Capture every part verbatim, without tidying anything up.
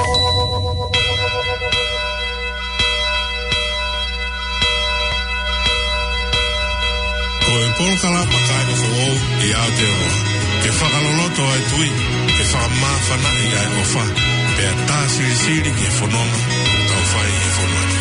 Ko e polokalama kāinga foʻou ʻi Aotearoa, ke fakaloloto ʻa e tui, ke fakamāfanaʻi ʻa e ʻofa, pea tā silisili ki he fononga ʻoku tau fai he fonua ni.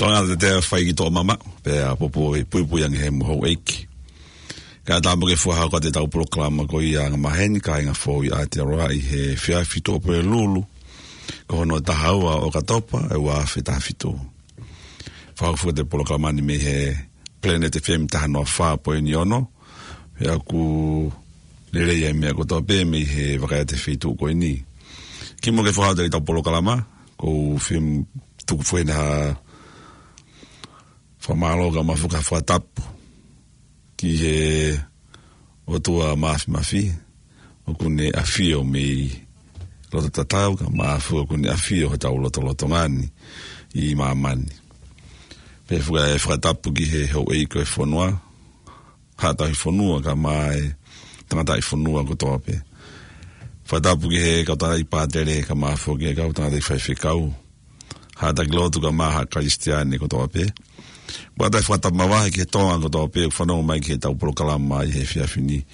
Tō ngā te te fai ki tō mama, pea popo e puipui ange he mo houʻeiki. Ka tā mo ke fuaha ko ʻetau polokalama ko ia anga maheni, kāinga foʻou ʻi Aotearoa, ʻi he efiafi Tuʻapulelulu, ko hono taha ua ʻo ʻOkatopa, ʻe ua afe taha fitu. Fakahoko ʻetau polokalama ni mei he Planet F M taha noa fā poini ono, pea ʻoku lelei ʻa e meʻa kotoa pē mei he vaka ʻa e feituʻu ko eni. Kimuʻa ke fakahoko ʻetau polokalama, ʻoku ou fie tuku foki ha fakamālō kae ʻumaʻā foki ha fakatapu ki he ʻOtua Māfimafi, ʻoku ne ʻafio mei loto tatau, kae ʻumaʻā foki ʻoku ne ʻafio hotau lotolotonga ni ʻi māmani. Pea foki ʻa e fakatapu ki he houʻeiki ʻo e fonua, Haʻa Tauhi Fonua, kae ʻumaʻā e tangataʻi fonua kotoa pē. Fakatapu ki he kau tangataʻi pātele, kae ʻumaʻā foki e kau tangataʻi faifekau, haʻa taki lotu kae ʻumaʻā haʻa Kalisitiane kotoa pē. Pea ʻoatu e fakatapu mavahe ki he Tonga kotoa pē ʻoku fanongo mai ki heʻetau polokalama ʻi he efiafi ni,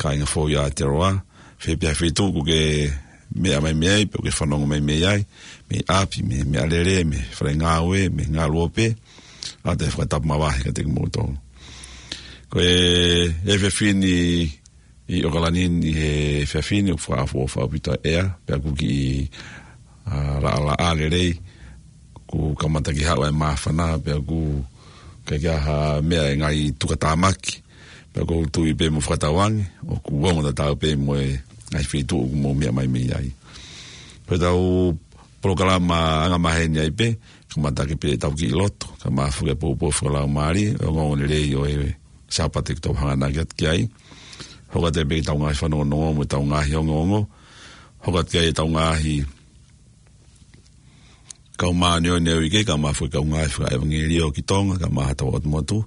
kāinga foʻou ʻi Aotearoa, fē pē ha feituʻu ʻoku ke meʻa mai mei ai, pe ʻoku ke fanongo mai mei ai, mei ʻapi, mei he meʻalele, mei he fale ngāue, mei he ngaluope, ʻoatu e fakatapu mavahe kiate kimoutolu. Ko e efiafi ni ʻi ʻAokalani ʻi he efiafi ni, ʻoku fakaʻofoʻofa ʻaupito ʻa e ʻea, pea ʻoku kiʻi, ʻa, laʻalaʻā lelei, ʻoku kamata ke haʻu ʻa e māfana, pea ʻoku ʻikai ke ʻi ai ha meʻa ʻe ngaahi tukatāmaki, pea ʻoku ou tui pē mo fakatauange, ʻoku ongo tatau pē mo e ngaahi feituʻu ʻoku mou meʻa mai mei ai. Ko ʻetau polokalama anga maheni ai pē, kamata ʻaki pē ʻetau kiʻi lotu, kae ʻumaʻā foki e poupou fakalaumālie, ʻo e ongoongolelei ʻo e Sāpate ʻoku tau hanganaki atu ki ai. Hoko atu ai pē ki heʻetau ngaahi fanongonongo mo ʻetau ngaahi ongoongo. Hoko atu ki ai ʻetau ngaahi kau māʻoniʻoni ʻo e uike, kae ʻumaʻā foki e kau ngāue fakaʻevangeliō ki Tonga, kae ʻumaʻā haʻatau ʻotu motu.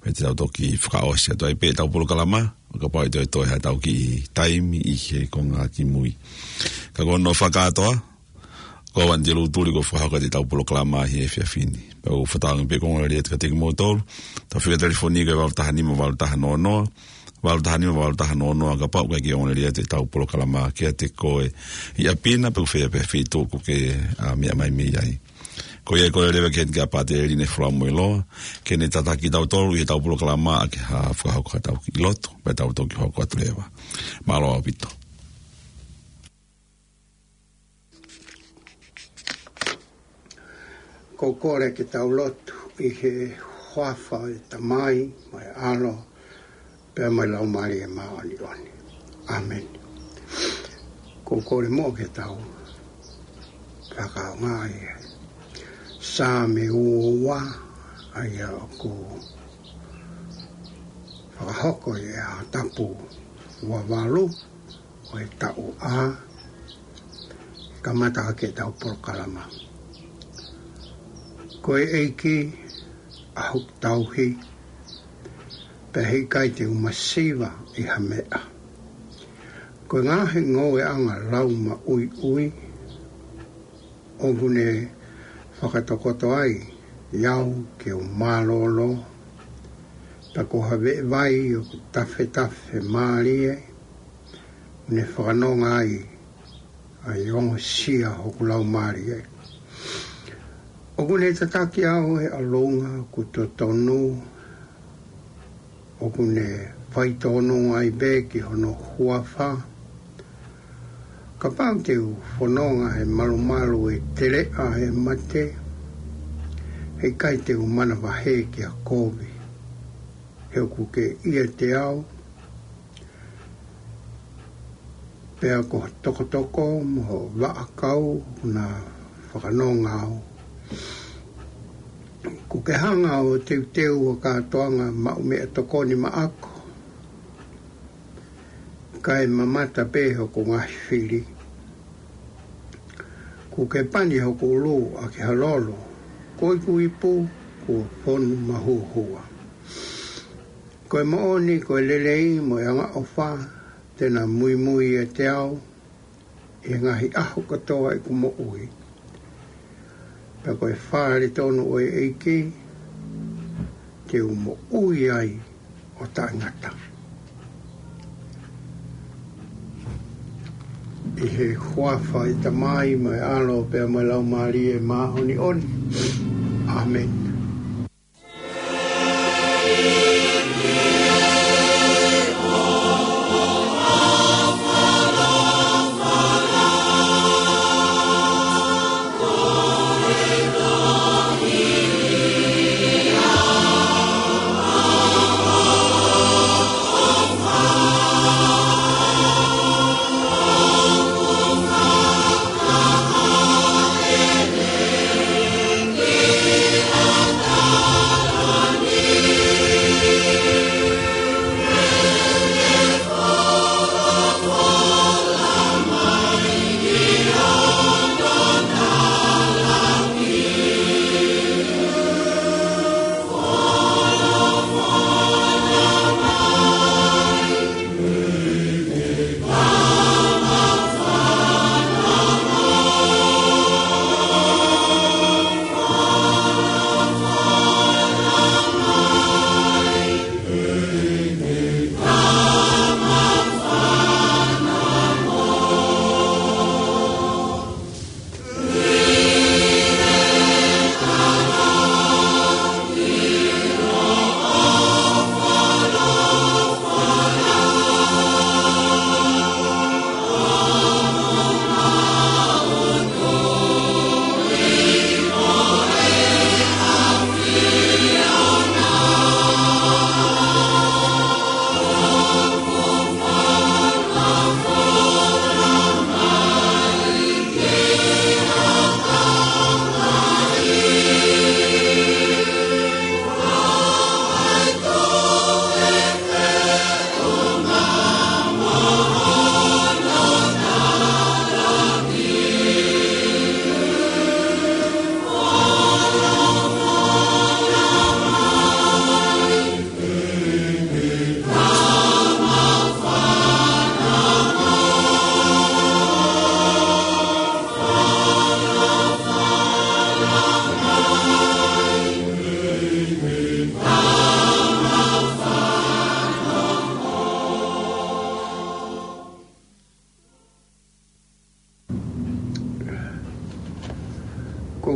Pea te tau toki fakaʻosi atu ai pē ʻetau polokalama, ʻo kapau ʻe toe toe haʻatau kiʻi taimi ʻi he konga kimui. Ka ko hono fakakātoa, ko au Anitelū Tuli ʻoku fakahoko atu ʻetau polokalama ʻi he efiafi ni. Pea ʻoku ou fakatauange pē ko e ongoongolelei atu kiate kimoutolu. ʻEtau fika telefoni ko e valu taha nima valu taha noa noa, valu taha nima, valu taha noa noa, kapau ʻoku ʻikai ke ongoongolelei atu ʻetau polokalama kiate koe ʻi ʻapi na, pe ʻoku fēfē pē feituʻu ʻoku ke, ā, meʻa mai mei ai. Ko ia, kole leva ki he ʻEiki ʻa Pateli ne fula mo e loa, ke ne tataki kitautolu ʻi heʻetau polokalama ʻaki ha fakahoko haʻatau kiʻi lotu, pea tau toki hoko atu leva. Mālō ʻaupito. Ko e kole ke tau lotu ʻi he huafa ʻo e Tamai, mo e ʻAlo, pea mo e Laumālie Māʻoniʻoni. ʻĀmeni. Ko e kole muʻa ke tau fakaʻaongaʻi e Saame ua ua, ʻa ia ʻoku fakahoko ʻi he ʻaho tapu ua valu ʻo e taʻu A, kamata ʻaki ʻetau polokalama. Ko e ʻEiki ʻa hoku tauhi, pea heʻikai te u masiva ʻi ha meʻa. Ko e ngaahi ngoueʻanga laumaʻuiʻui ʻoku ne fakatokoto ai au ke u mālōlō, pea ko ha veʻe vai ʻoku tafetafe mālie, ne fakanonga ai ʻa e ongosia hoku laumālie. ʻOku ne tataki au he ʻalunga ʻoku totonu, ʻoku ne faitōnunga ai pē ki hono huafa. Kapau te u fononga he malumalu ʻo e teleʻa ʻo e mate, heʻikai te u manavahē ki ha kovi, he ʻoku ke ʻiate au. Pea ko e tokotoko mo e vaʻakau ʻoku na fakanonga au. ʻOku ke hanga ʻo teuteu ʻa e kātoanga maʻu meʻatokoni maʻaku, kae mamata pē hoku ngaahi fili. ʻOku ke pani hoku ʻulu ʻaki ha lolo, ko ʻeku ipu kuo fonu mahuohua. Ko e moʻoni, ko e lelei mo e angaʻofa te na muimui ʻiate au ʻi he ngaahi ʻaho kotoa ʻeku moʻui. Pea ko e fale tonu ʻo e ʻEiki te u moʻui ai ʻo taʻengata. ʻI he huafa ʻo e Tamai mo e ʻAlo pea mo e Laumālie Māʻoniʻoni. ʻĀmeni.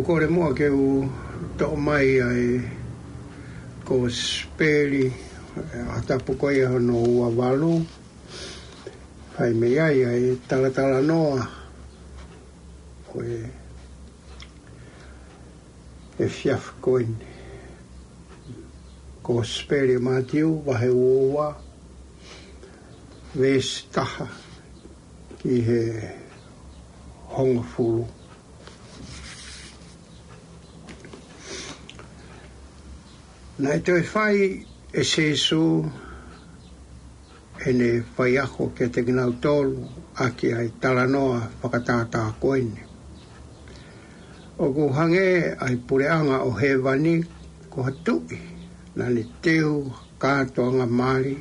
Kole muʻa ke u toʻo mai ʻa e Kosipeli, ʻa e ʻaho tapu ko ia hono ua valu, fai mei ai ʻa e talatalanoa ʻo e, ʻo e efiafi ko eni. Kosipeli ʻa Mātiu, vahe ua ua, veesi taha ki he hongofulu. Naʻe toe fai ʻe Sīsū ʻene faiako kiate kinautolu ʻaki ʻa e talanoa fakatātā ko eni: ʻOku hangē ʻa e puleʻanga ʻo hēvani ko ha tuʻi naʻa ne teu ha kātoanga mali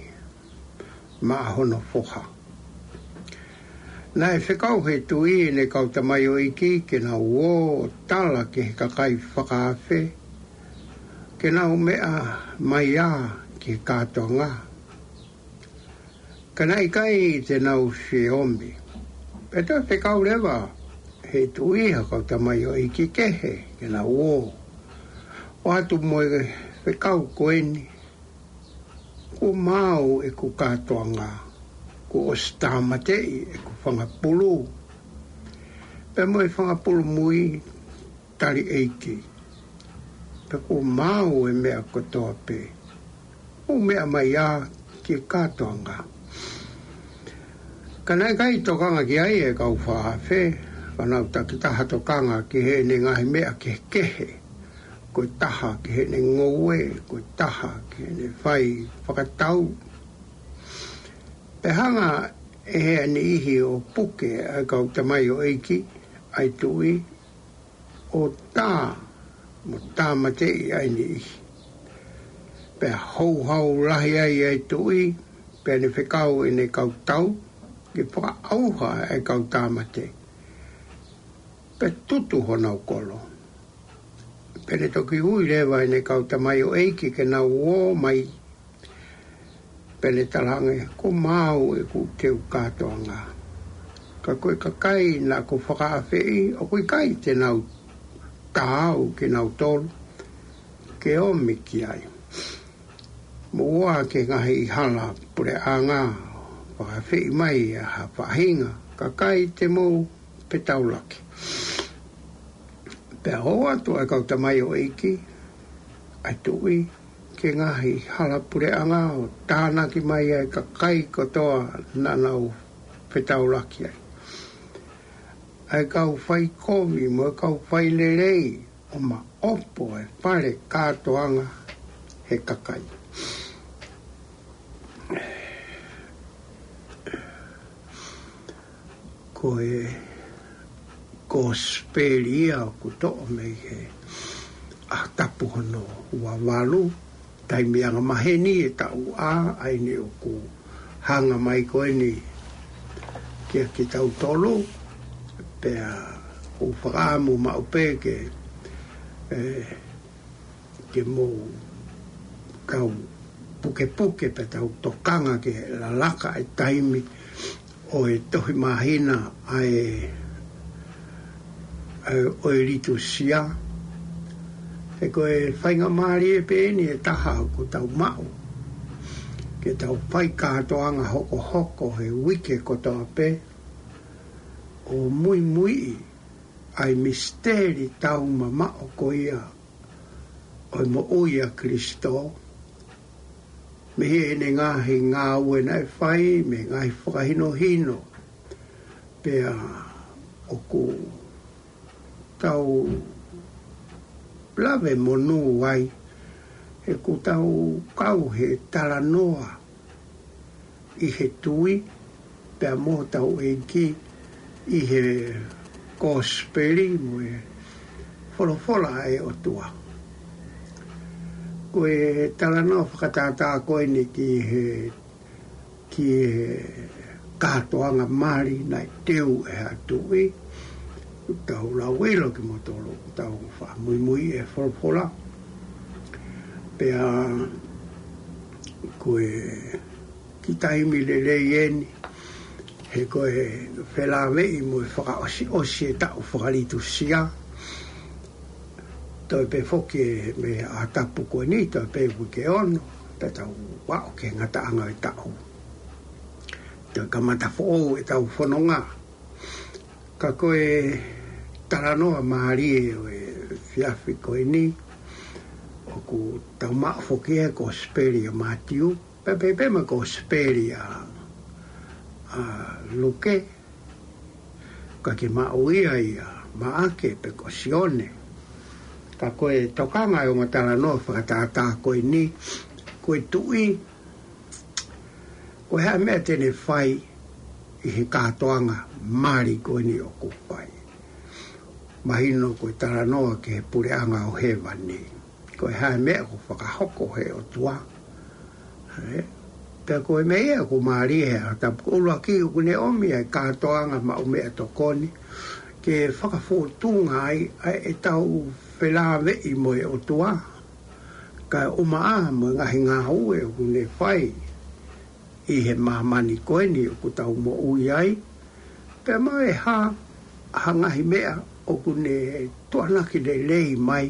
maʻa hono foha. Naʻe fekau ʻe he tuʻi ʻene kau tamaioʻeiki ke nau ō ʻo tala ki he kakai fakaafe ke nau meʻa mai ā ki he kātoanga, ka naʻe ʻikai te nau fie omi. Pea toe fekau leva ʻe he tuʻi ha kau tamaioʻeiki kehe ke nau ō, ʻoatu mo e fekau ko eni: Kuo maau ʻeku kātoanga, kuo ʻosi tāmateʻi ʻeku fanga pulu pea mo e fanga pulu mui tali ʻeiki, pea kuo maau e meʻa kotoa pē. Mou meʻa mai ā ki he kātoanga. Ka naʻe ʻikai tokanga ki ai e kau fakaafe, ka nau takitaha tokanga ki heʻene ngaahi meʻa kehekehe, ko e taha ki heʻene ngoue, ko e taha ki heʻene fai fakatau. Pea hanga ʻe he niʻihi ʻo puke ʻa e kau tamaioʻeiki ʻa e tuʻi, ʻo tā mo tāmateʻi ʻa e niʻihi. Pea houhau lahi ai ʻa e tuʻi, pea ne fekau ʻene kau tau ke fakaʻauha ʻa e kau tāmate, pea tutu honau kolo. Pea ne toki ui leva ʻene kau tamaioʻeiki ke nau ō mai, pea ne talaange: Kuo maau ʻeku teu kātoanga. Ka ko e kakai naʻa ku fakaafeʻi, ʻoku ʻikai te nau tā au kinautolu ke omi ki ai. Mou ō ā ki he ngaahi hala puleʻanga, fakaafeʻi mai ʻa ha faʻahinga kakai te mou fetaulaki. Pea ō atu ʻa e kau tamaioʻeiki ʻa e tuʻi ki he ngaahi hala puleʻanga ʻo tānaki mai ʻa e kakai kotoa naʻa nau fetaulaki ai, ʻa e kau faikovi mo e kau failelei, ʻo maʻopo e fale kātoanga he kakai. Ko e Kosipeli ia ʻoku toʻo mei he ʻaho tapu hono ua valu, taimi angamaheni e taʻu A, ʻa eni ʻoku hanga mai ko eni kia kitautolu, pea ʻoku ou fakaʻamu maʻu pē ke, ē, ke mou kau pukepuke pea tau tokanga ke lalaka e taimi ʻo e tohi māhina ʻa e, ʻa e, ʻo e Litūsia. He ko e faingamālie pē eni ʻe taha ʻoku tau maʻu, ke tau fai kātoanga hokohoko he uike kotoa pē, ʻo muimuiʻi ʻa e misiteli taumamaʻo ko ia ʻo e moʻui ʻa Kalaisi, mei heʻene ngaahi ngāue naʻe fai, mei he ngaahi fakahinohino, pea ʻoku tau lave monū ai, he ʻoku tau kau he talanoa ʻi he tui, pea mo hotau ʻEiki ʻi he Kosipeli mo e folofola ʻa e ʻOtua. Ko e talanoa fakatātā ko eni ki he, ki he kātoanga mali naʻe teu ʻe ha tuʻi, tau lau ʻilo kimoutolu, tau fakamuimui e folofola. Pea ko e kiʻi taimi lelei eni, he ko e felāveʻi mo e fakaʻosiʻosi e taʻu fakalitusia. Toe pē foki e meʻa tapu ko eni, toe pē uike ono, pea tau aʻu ki he ngataʻanga e taʻu. Toe kamata foʻou ʻetau fononga. Ka ko e talanoa mālie ʻo e efiafi ko eni, ʻoku tau maʻu foki ʻi he Kosipeli ʻa Mātiu, pea pehē pē mo e Kosipeli ʻa, ʻa Luke, ka ke maʻu ia ʻia Maʻake pe ko Sione. Ka ko e tokanga ʻo e ongo talanoa fakatātā ko eni, ko e tuʻi, ko e hā e meʻa te ne fai ʻi he kātoanga mali ko eni ʻoku fai. Mahino ko e talanoa ki he puleʻanga ʻo hēvani. Ko e hā e meʻa ʻoku fakahoko he ʻOtua. Ē? Pea ko e meʻa ia ʻoku mālie he ʻaho tapu, ko e ʻuluaki ʻoku ne ʻomi ʻa e kātoanga maʻu meʻatokoni ke fakafōtunga ai ʻa ʻetau felāveʻi mo e ʻOtua. Kae ʻumaʻā mo e ngaahi ngāue ʻoku ne fai ʻi he māmani ko eni ʻoku tau moʻui ai. Pea mo e hā ha ngaahi meʻa ʻoku ne tuʻanaki lelei mai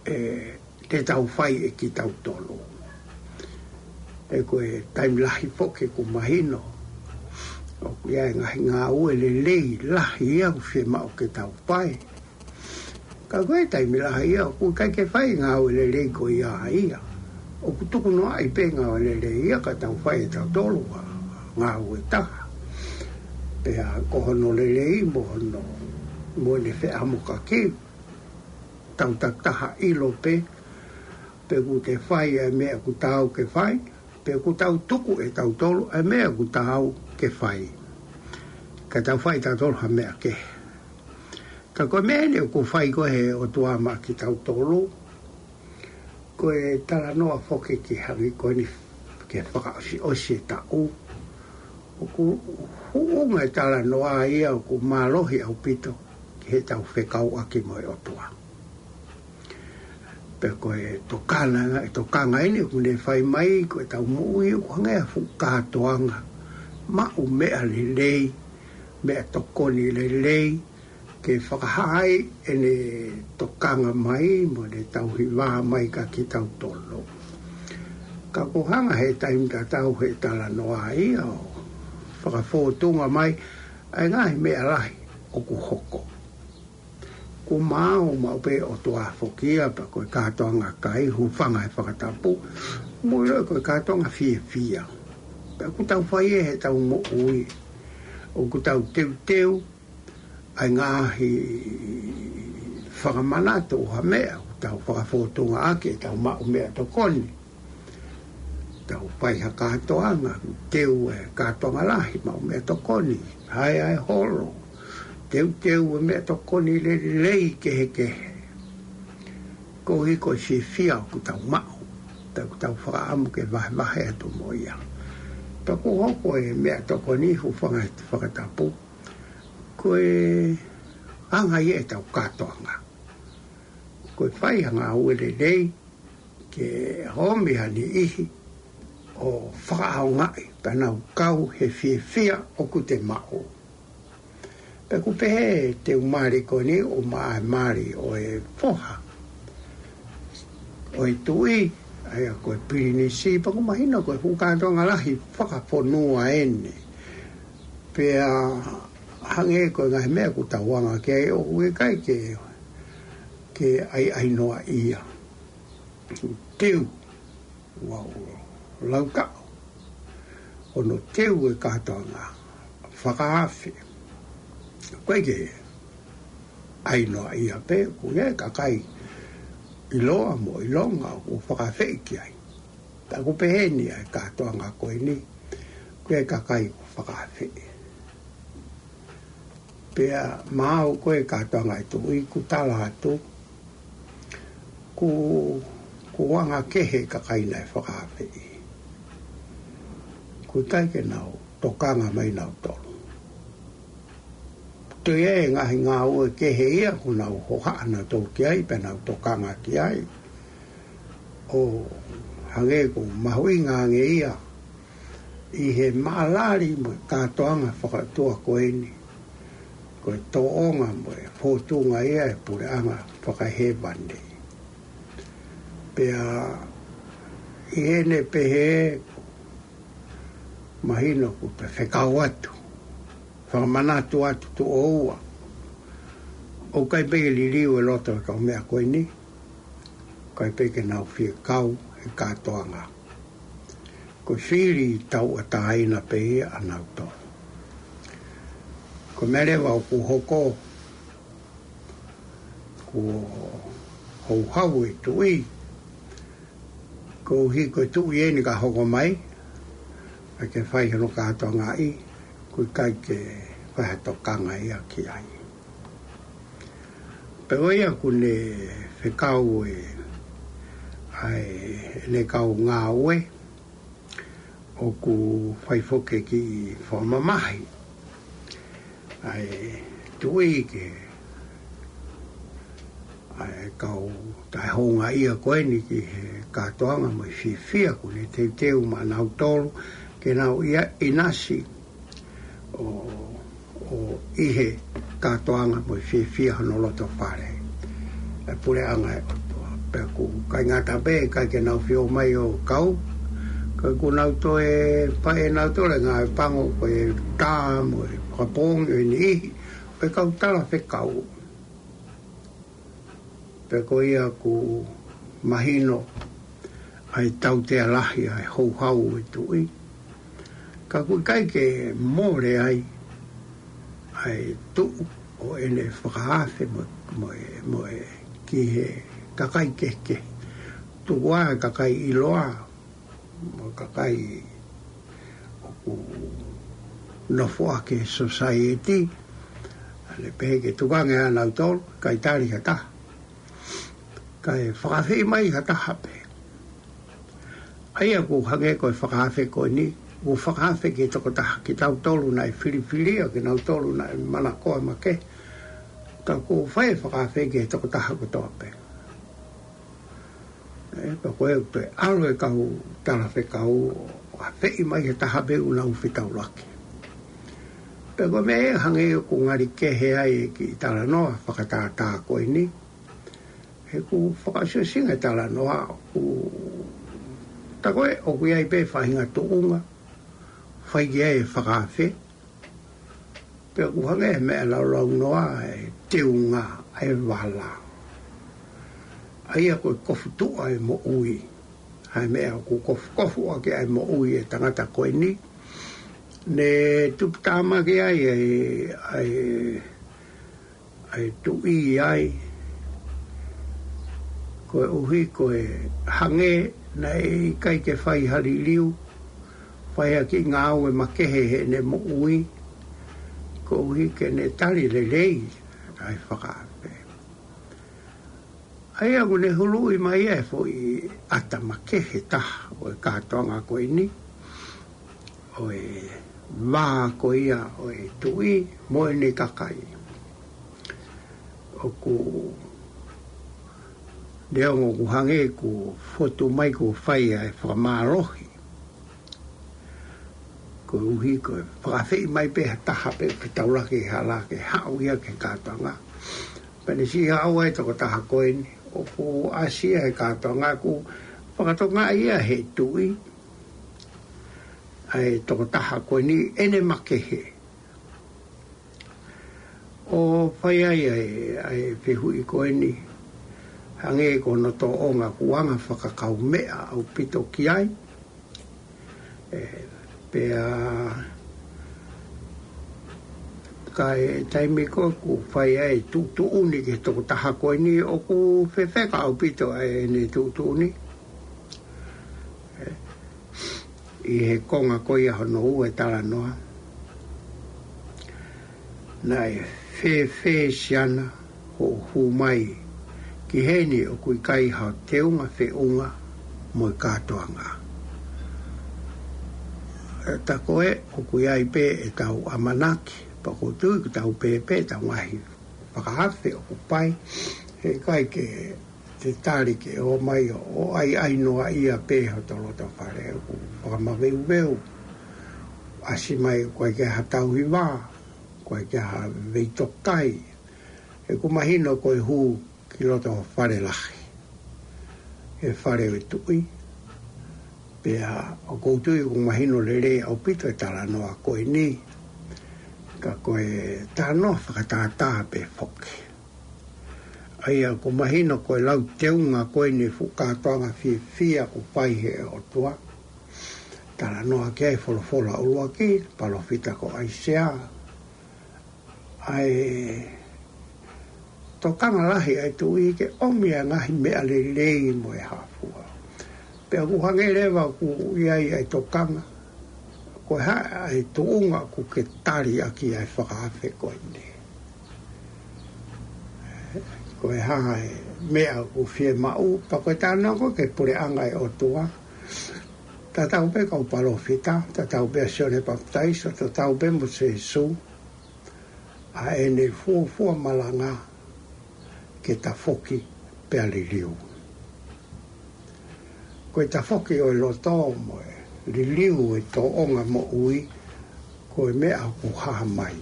ʻe te tau fai ʻe kitautolu. Ē, ko e taimi lahi foki ʻoku mahino ʻoku ʻi ai e ngaahi ngāue lelei lahi ia ʻoku fiemaʻu ke tau fai. Ka ko e taimi lahi ia ʻoku ʻikai ke fai ngāue lelei ko ia ia. ʻOku tukunoaʻi pē ngāue lelei ia ka tau fai ʻe tautolu ha ngāue taha. Pea ko hono lelei mo hono, mo ʻene feʻamokaki, tau takitaha ʻilo pē, pe ʻoku te fai ʻa e meʻa ʻoku taau ke fai, pe ʻoku tau tuku ʻe tautolu ʻa e meʻa ʻoku taau ke fai. Ka tau fai tautolu ha meʻa kehe. Ka ko e meʻa eni ʻoku fai ko ē he ʻOtua maʻa kitautolu, ko e talanoa foki ki he hangē ko eni ki he fakaʻosiʻosi e taʻu. ʻOku huʻunga e talanoa ia ʻoku mālohi ʻaupito ki heʻetau fekauʻaki mo e ʻOtua. Pea ko e tokanga, e tokanga eni ʻoku ne fai mai, ko ʻetau moʻui ʻoku hangē ha fuʻu kātoanga maʻu meʻa lelei, meʻatokoni lelei, ke fakahā ai ʻene tokanga mai mo ʻene tauhi vā mai kia kitautolu. Ka ʻoku hanga he taimi tatau he talanoa ia ʻo fakafōtunga mai ʻa e ngaahi meʻa lahi ʻoku hoko. ʻOku maau maʻu pē ʻOtua foki ia, pea ko e kātoanga kai, hūfanga he fakatapu, mo ʻilo ko e kātoanga fiefia. Pea ʻoku tau fai ʻe heʻetau moʻui, ʻoku tau teuteu ʻa e ngaahi fakamanatu ʻo ha meʻa ʻoku tau fakafōtunga ʻaki ʻetau maʻu meʻatokoni. Tau fai ha kātoanga, teu e kātoanga lahi maʻu meʻatokoni, hae ʻa e holo, teuteu e meʻatokoni lelei kehekehe. Koeʻuhi ko e fiefia ʻoku tau maʻu, pea ʻoku tau fakaʻamu ke vahevahe atu mo ia. Pea ʻoku hoko e meʻatokoni, hūfanga he fakatapu, ko e anga ia ʻetau kātoanga. Ko e fai ha ngāue lelei, ke ʻomi ha niʻihi ʻo fakaʻaongaʻi, pea nau kau he fiefia ʻoku te maʻu. Pea ʻoku pehē e teu mali ko eni ʻo maʻa e mali ʻo e foha ʻo e tuʻi, ʻa ia ko e pilinisi, pea ʻoku mahino ko e fuʻu kātoanga lahi fakafonua eni. Pea hangē ko e ngaahi meʻa ʻoku tau anga ki ai ʻoku ʻikai ke, ke ʻaiʻainoa ia. Teu, ua ua lau taʻu, hono teu e kātoanga fakaafe. ʻOku ʻikai ke ʻaiʻainoa ia pē, ʻoku ʻi ai e kakai ʻiloa mo ʻilonga ʻoku fakaafeʻi ki ai. Pea ʻoku pehē ni ʻa e kātoanga ko eni, ʻoku ʻi ai e kakai ʻoku fakaafeʻi. Pea maʻu ko e kātoanga e tuʻi ʻoku tala atu, ʻoku, ʻoku anga kehe e kakai naʻe fakaafeʻi. ʻOku ʻikai ke nau tokanga mai nautolu. Toe ʻi ai e ngaahi ngāue kehe ia ʻoku nau hohaʻa nautolu ki ai, pea nau tokanga ki ai. ʻO hangē ʻoku mahuʻinga ange ia ʻi he maʻalali mo e kātoanga fakaʻotua ko eni. Ko e tōʻonga mo e fōtunga ia e puleʻanga fakahēvani. Pea ʻi heʻene pehē, mahino kuo pē fekau atu, fakamanatu atu tuʻo ua, ʻoku ʻikai pē ke liliu e loto e kau meʻa ko eni, ʻikai pē ke nau fie kau he kātoanga. Ko e fili tauʻatāina pē ia ʻanautolu. Ko e meʻa leva ʻoku hoko, kuo houhau e tuʻi, koeʻuhi ko e tuʻi eni ka hoko mai, ʻai ke fai hono kātoangaʻi, ʻoku ʻikai ke fai ha tokanga ia ki ai. Pea ko ia kuo ne fekau e, ʻa e, ʻene kau ngāue, ʻoku fai foki e kiʻi fakamamahi ʻa e tuʻi ki he, ʻa e kau taʻehoungaʻia ko eni ki he kātoanga mo e fiefia kuo ne teuteu maʻanautolu ke nau ʻinasi ʻo, ʻo ʻi he kātoanga mo e fiefia hono loto fale e puleʻanga ʻo e ʻOtua. Pea ʻoku ʻikai ngata pē, ʻikai ke nau fie ō mai ʻo kau, ka kuo nau toe fai ʻenautolu e ngāue pango, ko e tā mo e fakapoongi ʻo e niʻihi ʻo e kau talafekau. Pea ko ia ʻoku mahino ʻa e tautea lahi ʻa e houhau e tuʻi. Ka ʻoku ʻikai ke mole ai ʻa e tuʻu ʻo ʻene fakaafe mo, mo e, mo e ki he kakai kehekehe. Tuku ā e kakai ʻiloa, mo e kakai ʻoku nofo ʻaki e society, ʻa ʻene pehē ke tukuange ʻanautolu, ʻikai tali ha taha. Kae fakaafeʻi mai ha taha pē. ʻA ia ʻoku hangē ko e fakaafe ko eni, ʻoku fakaafe ki he tokotaha, kitautolu naʻe filifilia, kinautolu naʻe manakoa makehe. Ka ʻoku fai e fakaafe ki he tokotaha kotoa pē. ʻE, pea ko e toe ʻalu e kau talafekau ʻo afeʻi mai ha taha pē ʻoku nau fetaulaki. Pea ko e meʻa ia hangē ʻoku ngali kehe ai e kiʻi talanoa fakatātā ko eni. He ʻoku fakaʻosiʻosinga e talanoa ʻoku, tā ko ē ʻoku ʻi ai pē faʻahinga tuʻunga fai ki ai e fakaafe. Pea ʻoku hangē he meʻa laulaunoa e teunga e vala. ʻA ia ko e kofu tuʻa e moʻui. ʻA e meʻa ʻoku kofukofu ʻaki ʻa e moʻui e tangata ko eni. Ne tuputāmaki ai e, ʻa e, ʻa e tuʻi ai. Koeʻuhi ko e hangē naʻe ʻikai ke fai ha liliu, fai ha kiʻi ngāue makehe heʻene moʻui, koeʻuhi ke ne tali lelei ʻa e fakaafe. ʻA ia ʻoku ne huluʻi mai e foʻi ʻata makehe taha ʻo e kātoanga ko eni, ʻo e vā ko ia ʻo e tuʻi mo ʻene kakai. ʻOku, neongo ʻoku hangē kuo fotu mai kuo fai ʻa e fakamālohi. Koeʻuhi ko e fakaafeʻi mai pē ha taha pē ʻoku fetaulaki he hala ke haʻu ia ki he kātoanga. Pea ne siʻi haʻu ai e tokotaha ko eni, ʻoku ʻasi ia he kātoanga ʻoku fakatokangaʻi ia he tuʻi ʻa e tokotaha ko eni ʻene makehe. ʻO fai ai ʻa e, ʻa e fehuʻi ko eni, hangē ko hono tōʻonga ʻoku anga fakakaumeʻa ʻaupito ki ai. ʻE, pea ka ʻi he taimi ko ē ʻoku fai ai e tuʻutuʻuni ki he tokotaha ko eni, ʻoku fefeka ʻaupito ʻa ʻene tuʻutuʻuni. ʻE, ʻi he konga ko ia hono ua e talanoa. Naʻe fēfē siana hoʻo hū mai ki heni ʻoku ʻikai hao teunga feʻunga mo e kātoanga. ʻE, tā ko ē ʻoku ʻi ai pē ʻetau ʻamanaki, pea ʻoku ou tui ʻoku tau pehē pē ʻetau ngaahi fakaafe ʻoku pai, he ʻikai ke te tali ke ō mai ʻo, ʻo ʻaiʻai noa ia pē hoto loto fale ʻoku fakamaveuveu. ʻAsi mai ʻoku ʻikai ke ha tauhi vā. ko e ke ha veitokai, he ʻoku mahino ko e hū ki loto fale lahi, he fale ʻo e tuʻi. Pea ʻoku ou tui ʻoku mahino lelei ʻaupito e talanoa ko eni, ka ko e talanoa fakatātā pē foki. ʻA ia ʻoku mahino ko e lau teunga ko eni fuʻu kātoanga fiefia ʻoku fai he ʻOtua. Talanoa ki ai e folofola ʻuluaki, palōfita ko ʻAisea. ʻA e tokanga lahi ʻa e tuʻi ke ʻomi ʻa e ngaahi meʻa lelei mo e hā fua. Pea ʻoku hangē leva ʻoku ʻi ai ʻa e tokanga, ko e hā ʻa e tuʻunga ʻoku ke tali ʻaki ʻa e fakaafe ko eni. Ko e hā e meʻa ʻoku fiemaʻu, pea ko e talanoa ko ē ki he puleʻanga ʻo e ʻOtua. Tatau pē kau palōfita, tatau pē ʻa Sione Papitaiso, tatau pē mo Sīsū. ʻA ʻene fuofua malanga ke tafoki pea liliu. Ko e tafoki ʻo e loto mo e liliu e tōʻonga moʻui, ko e meʻa ʻoku hā mai.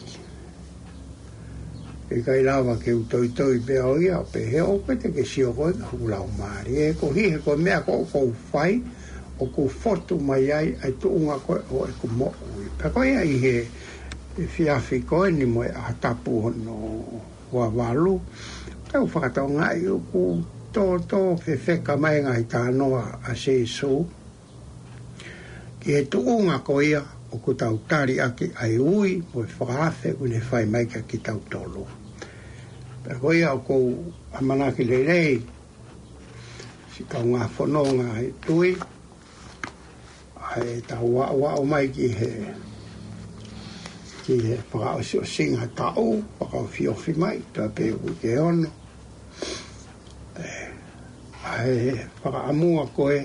ʻIkai lava ke u toitoi pē au ia, pehē ʻoku ʻikai te ke sio koe ki hoku laumālie. He ko e hā, he ko e meʻa ko ē ʻoku ou fai, ʻoku fotu mai ai ʻa e tuʻunga ko ē ʻo ʻeku moʻui. Pea ko ia ʻi he efiafi ko eni mo e ʻaho tapu hono ua valu, tau fakatokangaʻi ʻoku tōtō fefeka mai e ngaahi talanoa ʻa Sīsū ki he tuʻunga ko ia ʻoku tau tali ʻaki ʻa e ui mo e fakaafe ʻoku ne fai mai kiate kitautolu. Pea ko ia ʻoku ou ʻamanaki lelei, siʻi kaungā fononga ʻi he tuʻi, ʻa ʻetau aʻu mai ki he, ki he fakaʻosiʻosinga taʻu, fakaofiofi mai, tā pē uike ono. ʻE, ʻa e fakaʻamua ko ē,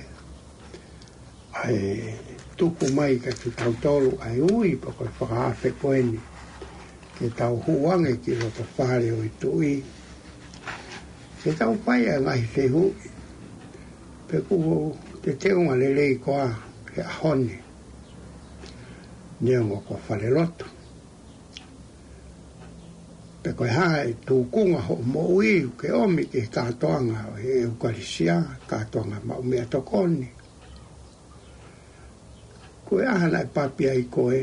ʻa e tuku mai kiate kitautolu ʻa e ui, pea ko e fakaafe ko eni, ke tau hū ange ki loto fale ʻo e tuʻi, ke tau fai ʻa e ngaahi fehuʻi, pe ʻoku te teunga lelei koā he ʻaho ni, neongo ko e falelotu. Pe ko e hā e tūkunga hoʻo moʻui ʻoku ke ʻomi ki he kātoanga ʻo e ʻEukalisia, kātoanga maʻu meʻatokoni. Ko e hā naʻe papi ai koe,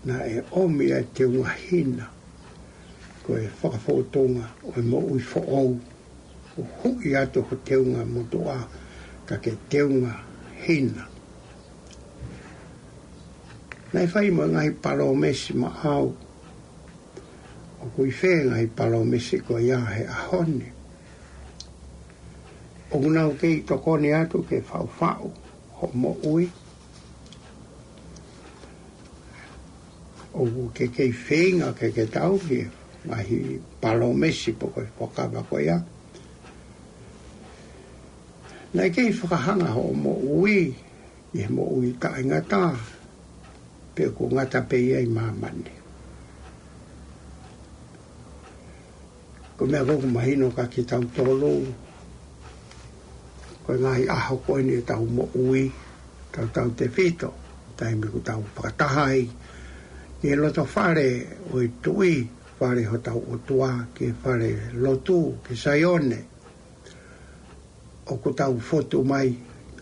naʻe ʻomi ʻa e teunga hina, ko e fakafōtunga ʻo e moʻui foʻou, ʻo huʻi atu ho teunga motuʻa, ka ke teunga hina. Naʻe fai mo e ngaahi palōmesi maʻau, ʻoku ʻi fē ngaahi palōmesi ko ia he ʻaho ni? ʻOku nau kei tokoni atu ke faʻufaʻu hoʻo moʻui? ʻOku ke kei feinga ke ke tauhi e ngaahi palōmesi pe ko e fuakava ko ia? Naʻe kei fakahanga hoʻo moʻui ʻi he moʻui taʻengata, pe ʻoku ngata pē ia ʻi māmani? Ko e meʻa ko ē ʻoku mahino kiate kitautolu, ko e ngaahi ʻaho ko eni ʻetau moʻui, tautautefito taimi ʻoku tau fakataha ai ki he loto fale ʻo e tuʻi, fale hotau ʻOtua, ki he fale lotu, ki Saione. ʻOku tau fotu mai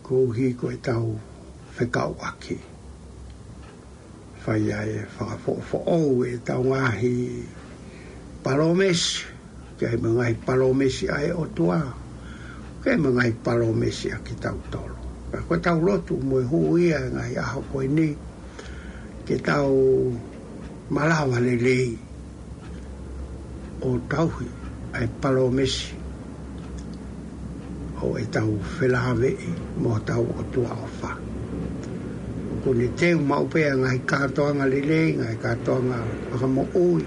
koeʻuhi ko ʻetau fekauʻaki. Fai ai e fakafoʻofoʻou ʻetau ngaahi palōmesi, ʻoku ʻi ai mo e ngaahi palōmesi ʻa e ʻOtua, ʻoku ʻi ai mo e ngaahi palōmesi ʻa kitautolu. Pea ko ʻetau lotu mo e hū ia he ngaahi ʻaho ko eni, ke tau malava lelei ʻo tauhi ʻa e palōmesi ʻo ʻetau felāveʻi mo hotau ʻOtua ʻofa. ʻOku ne teu maʻu pē ʻa e ngaahi kātoanga lelei, ngaahi kātoanga fakamoʻui,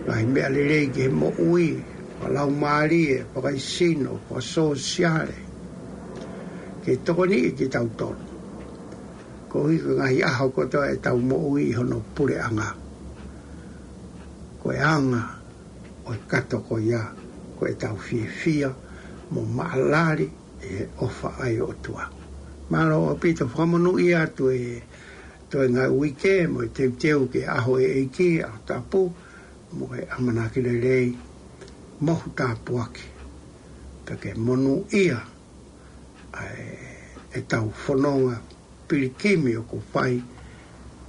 ngaahi meʻa lelei ki he moʻui, fakalaumālie, fakaesino, fakasōsiale, ke tokoniʻi kitautolu. Koeʻuhi ko e ngaahi ʻaho kotoa ʻetau moʻui ʻi hono puleʻanga, ko e anga ʻo e kato ko ia, ko ʻetau fiefia mo maʻalali ʻi he ʻofa ʻa e ʻOtua. Mālō ʻaupito, fakamonūʻia atu e toenga uike mo e teuteu ki he ʻaho ʻo e ʻEiki, ʻaho tapu, mo e ʻamanaki lelei, mohu tāpuaki, pea ke monūʻia ʻa e, ʻetau fononga pilikimi ʻoku fai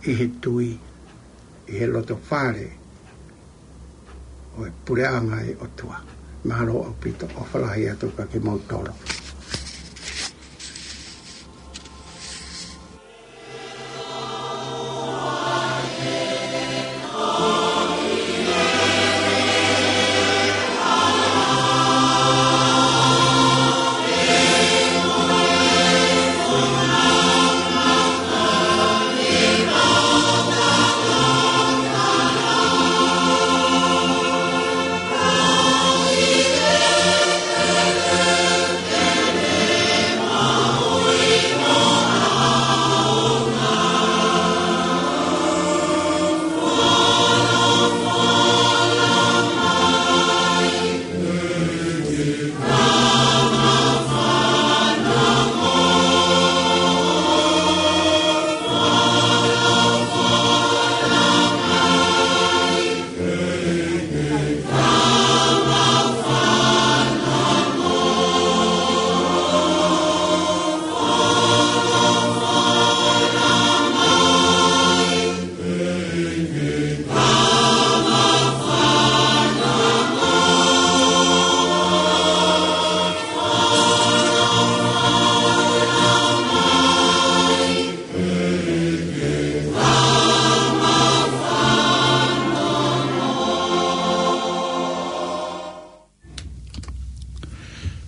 ʻi he tui, ʻi he loto fale ʻo e puleʻanga ʻo e ʻOtua. Mālō ʻaupito, ʻofa lahi atu kiate kimoutolu.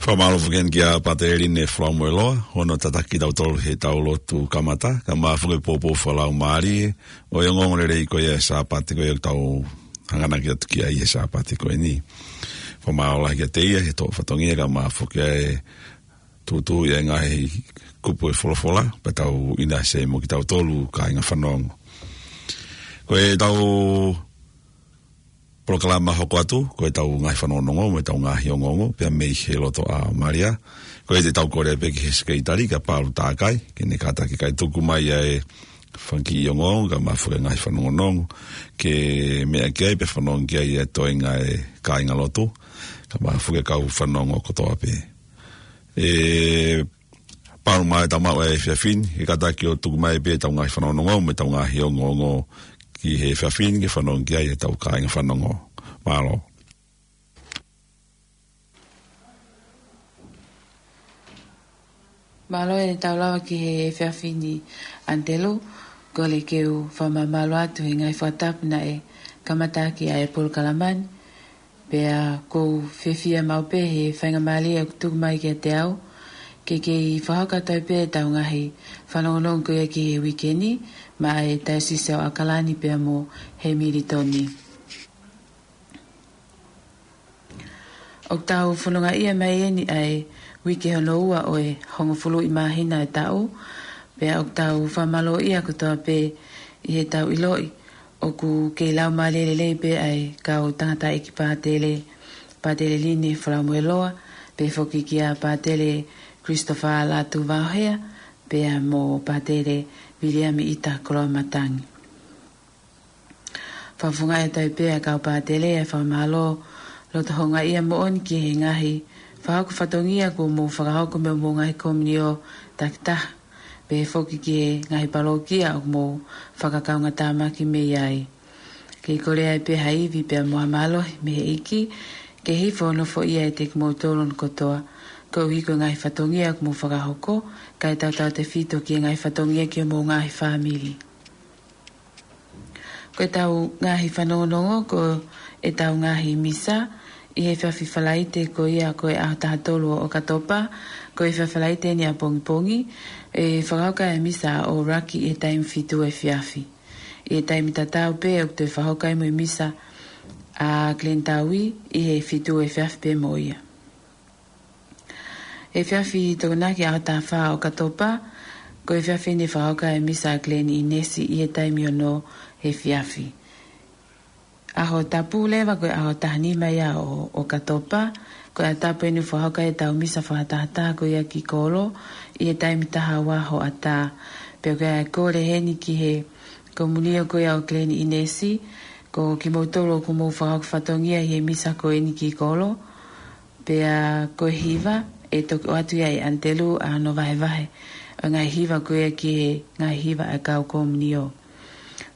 Fakamālō foki kia Pātele Line Falaumueloa, hono tataki kitautolu heʻetau lotu kamata, kae ʻumaʻā foki e poupou fakalaumālie ʻo e ongoongolelei ko ia ʻo e Sāpate ko ia ʻoku tau hanganaki atu ki ai he Sāpate ko eni. Fakamālō lahi kiate ia he tō fatongia kae ʻumaʻā foki ʻa e tuʻutuʻuni ʻa e ngaahi kupu ʻo e folofola, pea tau ʻinasi mo kitautolu kāinga fanongo. Ko ʻetau polokalama hoko atu, ko ʻetau ngaahi fanongonongo, mo ʻetau ngaahi ongoongo, pea mei he loto ʻa Malia. Ko ia te tau kole pē ki he Sekelitali, kia Paulu Takai, ke ne kātaki kae tuku mai ʻa e fanga kiʻi ongoongo, kae ʻumaʻā foki e ngaahi fanongonongo, ke meʻa ki ai, pea fanongo ki ai ʻa e toenga ʻo e kāingalotu, kae ʻumaʻā foki e kau fanongo kotoa pē. ʻE Paulu, mai tau maʻu e efiafi ni, ʻe kātaki ʻo tuku mai pē ʻetau ngaahi fanongonongo, mo ʻetau ngaahi ongoongo ki he efiafi ni, ke fanongo ki ai ʻetau kāinga fanongo. Mālō. Mālō ʻetau lava ki he efiafi ni, ʻAnitelu, kole ke u fakamālō atu he ngaahi fakatapu naʻe kamata ʻaki ʻa e polokalama ni. Pea ʻoku ou fiefia maʻu pē he faingamālie ʻoku tuku mai kiate au, ke kei fakahoko atu ai pē ʻetau ngaahi fanongonongo ko ia ki he uike ni, maʻa e Taiosisi ʻo ʻAokalani pea mo Hemilitoni. ʻOku tau fonongaʻia mai eni ʻa e uike hono ua ʻo e hongofulu ʻi māhina e taʻu, pea ʻoku tau fakamālōʻia kotoa pē ʻi heʻetau ʻiloʻi ʻoku kei laumālie lelei pē ʻa e kau tangataʻeiki pātele, Pātele Line Falaumueloa, pehē foki kia Pātele Christopher Lātū Vaohea, pea mo Pātele Viliami ʻIta Koloamatangi. Fakafofongaʻi atu ai pē ʻa e kau pātele ʻa e fakamālō loto houngaʻia moʻoni ki he ngaahi fakahoko fatongia kuo mou fakahoko mei hoʻomou ngaahi komiunio takitaha, pehē foki ki he ngaahi palōkia ʻoku mou fakakaungātāmaki mei ai. Kei kole ai pē ha ivi pea mo ha mālohi mei he ʻEiki, ke hifo ʻo nofoʻia ʻiate kimoutolu kotoa, koeʻuhi ko e ngaahi fatongia ʻoku mou fakahoko, kae tautautefito ki he ngaahi fatongia ki hoʻomou ngaahi fāmili. Ko ʻetau ngaahi fanongonongo, ko ʻetau ngaahi misa, ʻi he efiafi Falaite ko ia ko e ʻaho taha tolu ʻo ʻOkatopa, ko e efiafi Falaite ni ʻapongipongi, ʻe fakahoko ai e misa ʻa ʻUluaki ʻi he taimi fitu efiafi. ʻI he taimi tatau pē ʻoku toe fakahoko ai mo e misa ʻa Glenn Taui ʻi he fitu efiafi pē mo ia. Efiafi Tokonaki ʻaho taha fā ʻo ʻOkatopa, ko e efiafi ni ʻe fakahoko ai e misa ʻa Glenn ʻInesi ʻi he taimi ono efiafi. ʻAho tapu leva ko e ʻaho taha nima ia ʻo, ʻo ʻOkatopa, ko e ʻaho tapu eni ʻoku fakahoko ai ʻetau misa fakatahataha ko ia ki kolo, ʻi he taimi taha ua hoʻatā. Pea ko e kole heni ki he Komunio ko ia ʻo Glen Innes, ko kimoutolu ʻoku mou fakahoko fatongia ʻi he misa ko eni ki kolo, pea ko e hiva, ʻe toki ʻoatu ia ʻe ʻAnitelū ʻa hono vahevahe ʻo e ngaahi hiva ko ia ki he ngaahi hiva ʻa e kau komunio.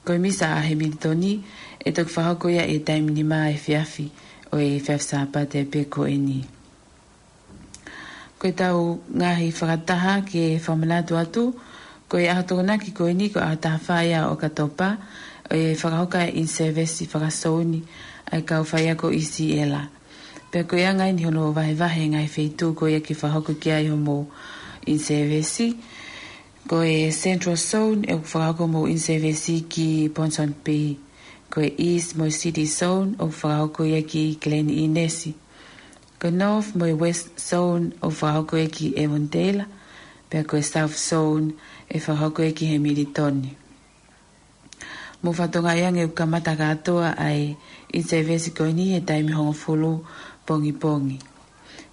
Ko e misa ʻa Hemilitoni, ʻe toki fakahoko ia ʻi he taimi nima efiafi ʻo e efiafi Sāpate pē ko eni. Ko ʻetau ngaahi fakataha ke fakamanatu atu, ko e ʻaho Tokonaki ko eni ko e ʻaho taha fā ia ʻo ʻOkatopa, ʻe fakahoko ai e in-service fakasouni ʻa e kau faiako ʻi Siela. Pea ko e anga eni hono vahevahe ngaahi feituʻu ko ia ke fakahoko ki ai hoʻomou in-service. Ko e Central Zone, ʻoku fakahoko hoʻomou in-service ki Ponsonby. Ko e East mo e City Zone, ʻoku fakahoko ia ki Glen Innes. Ko e North mo e West Zone, ʻoku fakahoko ia ki Avondale. Pea ko e South Zone, ʻe fakahoko ia ki Hemilitoni. Mou fakatokangaʻi ange ʻoku kamata kātoa ʻa e in-service ko eni he taimi hongofulu pongipongi.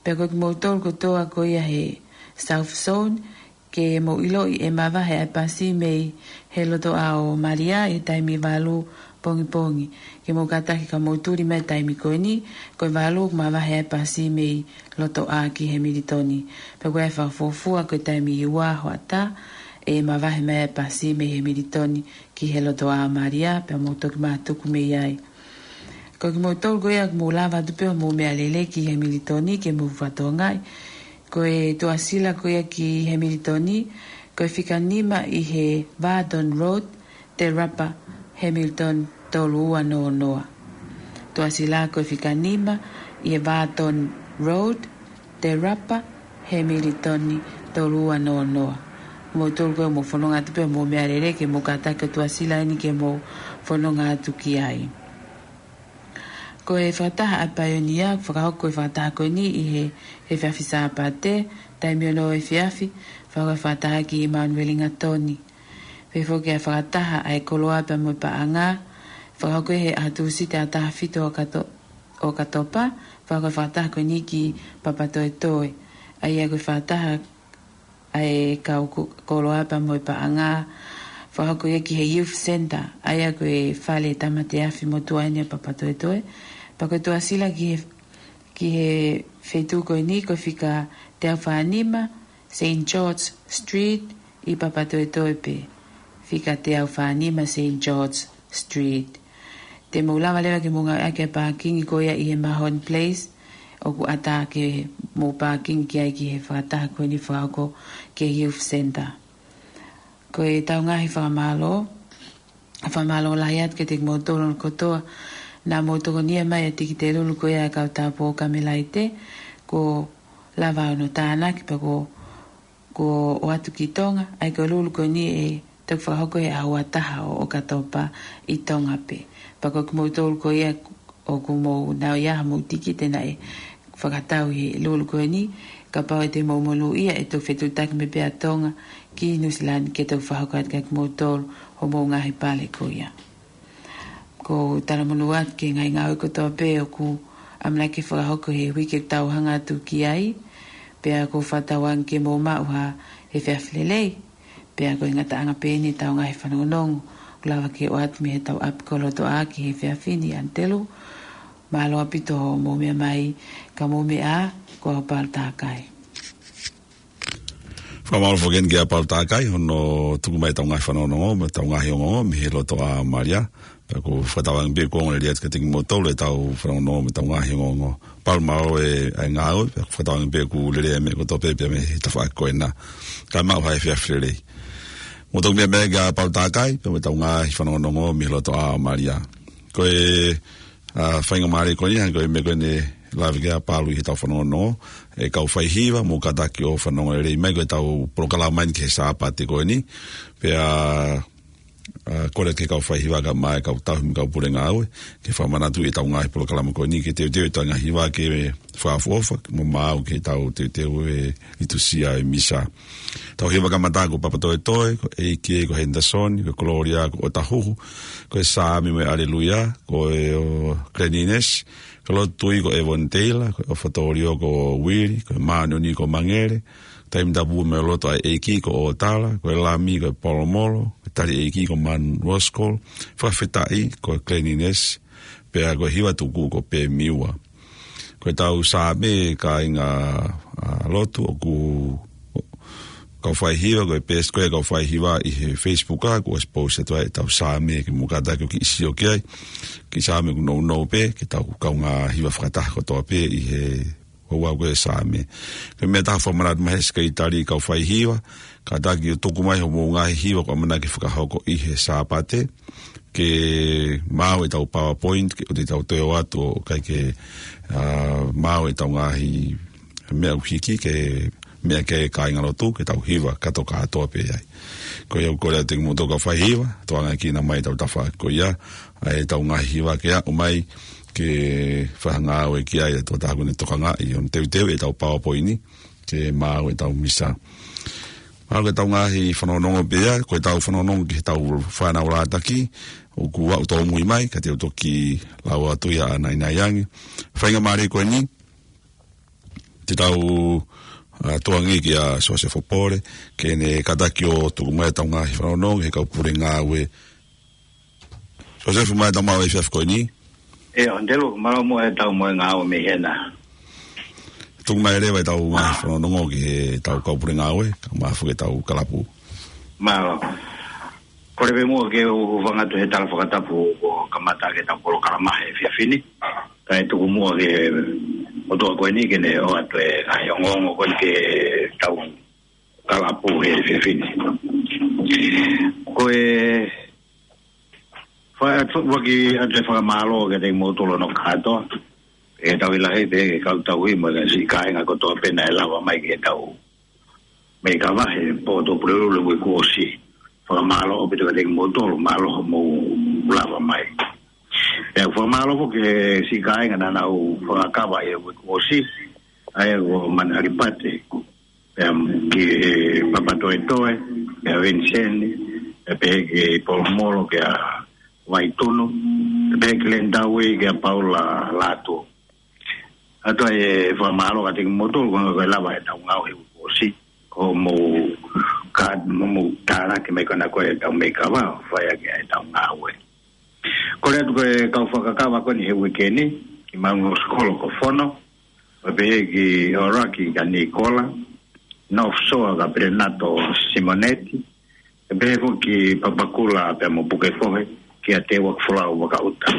Pea ko kimoutolu kotoa ko ia he South Zone, ke mou ʻiloʻi ʻe mavahe ʻa e pasi mei he lotoʻā ʻo Malia he taimi valu pongipongi. Ke mou kātaki ka mou tuli mai he taimi ko eni, ko e valu ʻoku mavahe ʻa e pasi mei lotoʻā ki Hemilitoni. Pea ko e fakafuofua ko e taimi ua hoʻatā, ʻe mavahe mai ʻa e pasi mei Hemilitoni ki he lotoʻā ʻo Malia, pea mou toki mātuku mei ai. Ko kimoutolu ko ia ʻoku mou lava atu pē hoʻomou meʻalele ki Hemilitoni ke mou fakatokangaʻi. Ko e tuʻasila ko ia ki Hemilitoni, ko e fika nima ʻi he Vardon Road, Te Rapa, Hemilitoni, tolu ua noa noa. Tuʻasila ko e fika nima ʻi he Vardon Road, Te Rapa, Hemilitoni, tolu ua noa noa. Moutolu ko ia ʻoku mou fononga atu pē hoʻomou meʻalele ke mou kātaki ʻo tuʻasila eni ke mou fononga atu ki ai. Ko e fakataha ʻa e paionia, fakahoko e fakataha ko eni ʻi he, he efiafi Sāpate, taimi ono efiafi, fakahoko e fakataha ki Manueli Ngatoni. Pehē foki ʻa e fakataha ʻa e koloa pea mo e paʻanga, fakahoko he ʻaho Tūsite ʻaho taha fitu ʻo ʻOkato-, ʻOkatopa, fakahoko e fakataha ko eni ki Papatoetoe. ʻA ia ko e fakataha ʻa e kau ko-, koloa pea mo e paʻanga, fakahoko ia ki he Youth Centre, ʻa ia ko e fale tāmate afi motuʻa eni ʻo Papatoetoe. Pea ko e tuʻasila ki he, ki he feituʻu ko eni ko e fika teau fā nima, Saint George Street, ʻi Papatoetoe pē. Fika teau fā nima Saint George Street. Te mou lava leva ke mou ngāueʻaki e pākingi ko ia ʻi he Mahon Place, ʻoku ʻatā ke mou pākingi ki ai ki he fakataha ko eni fakahoko ki he Youth Centre. Ko ʻetau ngaahi fakamālō, fakamālō lahi atu kiate kimoutolu kotoa naʻa mou tokonia mai ʻa e tikite lulu ko ia ʻa e kau tāupoʻou Kamelaite, kuo lava hono tānaki pea kuo, kuo ʻoatu ki Tonga, ʻa ia ko e lulu ko eni ʻe toki fakahoko he ʻaho ua taha ʻo ʻOkatopa ʻi Tonga pē. Pea ko kimoutolu ko ia ʻoku mou nau ʻi ai haʻamou tikite naʻe fakatau he lulu ko eni, kapau ʻe te mou monūʻia ʻe toki fetuʻutaki mai pē ʻa Tonga ki Nuʻusila ni ke toki fakahoko atu kia kimoutolu hoʻomou ngaahi pale ko ia. ʻOku ou talamonū atu ki he ngaahi ngāue kotoa pē ʻoku ʻamanaki ke fakahoko he uike ʻoku tau hanga atu ki ai, pea ʻoku ou fakatauange ke mou maʻu ha efiafi lelei. Pea ko e ngataʻanga pē eni ʻetau ngaahi fanongonongo, ʻoku lava ke ʻoatu mei heʻetau ʻapi ko Lotoʻā ki he efiafi ni ʻAnitelū. Mālō ʻaupito hoʻomou meʻa mai, ka mou meʻa ā, ko au Palu Takai. Fakamālō foki eni kia Palu Takai, hono tuku mai ʻetau ngaahi fanongonongo, mo ʻetau ngaahi ongoongo, mei he Lotoʻā ʻo Malia. Pea ʻoku ou fakatauange pē ʻoku ongo lelei atu kiate kimoutolu ʻetau fanongonongo mo ʻetau ngaahi ongoongo. Palu, mālō e, ʻa e ngāue, pea ʻoku ou fakatauange pē ʻoku lelei e meʻa kotoa pē, pea mei he tafaʻaki ko ena. Kae maʻu ha efiafi lelei. Mou toki meʻa mai kia Palu Takai, pea mo ʻetau ngaahi fanongonongo mei he Lotoʻā ʻo Malia. Ko e, ʻa, faingamālie ko eni, hangē ko e meʻa ko eni naʻe lave ki ai ʻa Palu ʻi heʻetau fanongonongo, e kau faihiva, mou kātaki ʻo fanongo lelei mai, ko ʻetau polokalama eni ki he Sāpate ko eni. Pea ʻa, kole ki he kau faihiva kae ʻumaʻā e kau tauhi mo e kau pule ngāue, ke fakamanatu ʻetau ngaahi polokalama ko eni, ke teuteu ʻetau ngaahi hiva ke fakaʻofoʻofa, mo maʻu ke tau teuteu e liturisia ʻo e misa. Tau hiva kamata ko Papatoetoe, ko e ʻEiki ko Henderson, ko e Kolōlia ko ʻOtahuhu, ko e Saame mo e ʻAleluia, ko e ʻo Glen Innes, ko e Lotu Tuʻi ko Avondale, ko e ʻOfa Tōlio ko Uili, ko e Māʻoniʻoni ko Mangele, Taimi Tapu mo e Loto ʻa e ʻEiki ko ʻOtala, ko e Lami ko Polomolo, ko e tali ʻeiki ko Manu Roskol, fakafetaʻi ko Cleanliness, pea ko e hiva tuku ko Pemiua. Ko e tau Saame kāinga, ʻa, lotu ʻoku kau fai hiva, ko e page ko ē kau fai hiva ʻi he Facebook ʻa, kuo ʻosi post atu ai e tau Saame ke mou kātaki ʻo kiʻi sio ki ai. Kiʻi Saame ʻoku nounou pē, ke tau kaungā hiva fakataha kotoa pē ʻi he ʻoua ko e Saame. Ko e meʻa taha fakamanatu mai he Sekelitali kau fai hiva, kātaki ʻo tuku mai hoʻomou ngaahi hiva ʻoku ʻamanaki fakahoko ʻi he Sāpate, ke maau e tau PowerPoint, ke ʻoua te tau toe ʻoatu ʻo ʻikai ke, ʻa, maau e tau ngaahi meʻa ʻoku hiki, ke meʻa ki ai e kāinga lotu, ke tau hiva kātoa kātoa pē ai. Ko ia ʻoku kole atu kiate kimoutolu kau fai hiva, tukuange kinaua mai e tau tafaʻaki ko ia, ʻa e tau ngaahi hiva ke aʻu mai, ke fakangāue ki ai e tokotaha ʻoku ne tokangaʻi ʻo ne teuteu e tau PowerPoint ni, ke maau e tau misa. Maau e tau ngaahi fanongonongo pē ia, ko e tau fanongonongo ki he tau fānau Lātaki, ʻoku aʻu tōmui mai, ka te u toki lau atu ia ʻanainai ange. Faingamālie ko eni, te tau, ʻa, tukuange kia Sosefo Pole, ke ne kātaki ʻo tuku mai e tau ngaahi fanongonongo, he kau pule ngāue. Sosefo, mai tau maʻu e efiafi ko eni. ʻIo, Andelu, mālō muʻa e tau moʻui ngāue mei hena. Tuku mai leva e tau ngaahi fanongonongo ki he tau kau pule ngāue, kae ʻumaʻā foki e tau kalapu. Mālō. Kole pē muʻa ke u hūfanga atu he tala fakatapu kuo kamata ʻaki e tau polokalama he efiafi ni. Kae tuku muʻa ke motuʻa ko eni ke ne ʻoatu e ngaahi ongoongo ko eni ki he tau kalapu he efiafi ni. Ko e fai atu, ʻoatu e fakamālō kiate kimoutolu hono kātoa. He tauhi lahi pē kau tauhi mo e siʻi kāinga kotoa pē naʻe lava mai ki he tau meʻi kava he pō Tuʻapulelulu he uike kuo ʻosi. Fakamālō ʻaupito kiate kimoutolu, mālō hoʻomou lava mai. Pea fakamālō foki ki he siʻi kāinga naʻa nau fakakava he uike kuo ʻosi, ʻa ia ko Manu ʻAlipate, pea ki he Papatoetoe, pea Viniseni, pea pehē ki Polomolo, kia Vaitunu, pea pehē ki Leni Taui, kia Paula Lātū. ʻOatu ai e fakamālō kiate kimoutolu, ko e lava e tau ngāue he uike kuo ʻosi, ko hoʻomou ka, mo hoʻomou tānaki mai ko ena ko e tau meʻi kava, fai ʻaki e tau ngāue. Kole atu ki he kau fakakava ko eni he uike ni, ki Manu Roskol ko Fono, pea pehē ki ʻAoraki kia Nikola, North Shore kia Perenato Simoneti, pea pehē foki ki Papakura pea mo Pukekohe, kia Teuakifolau Vakaʻuta.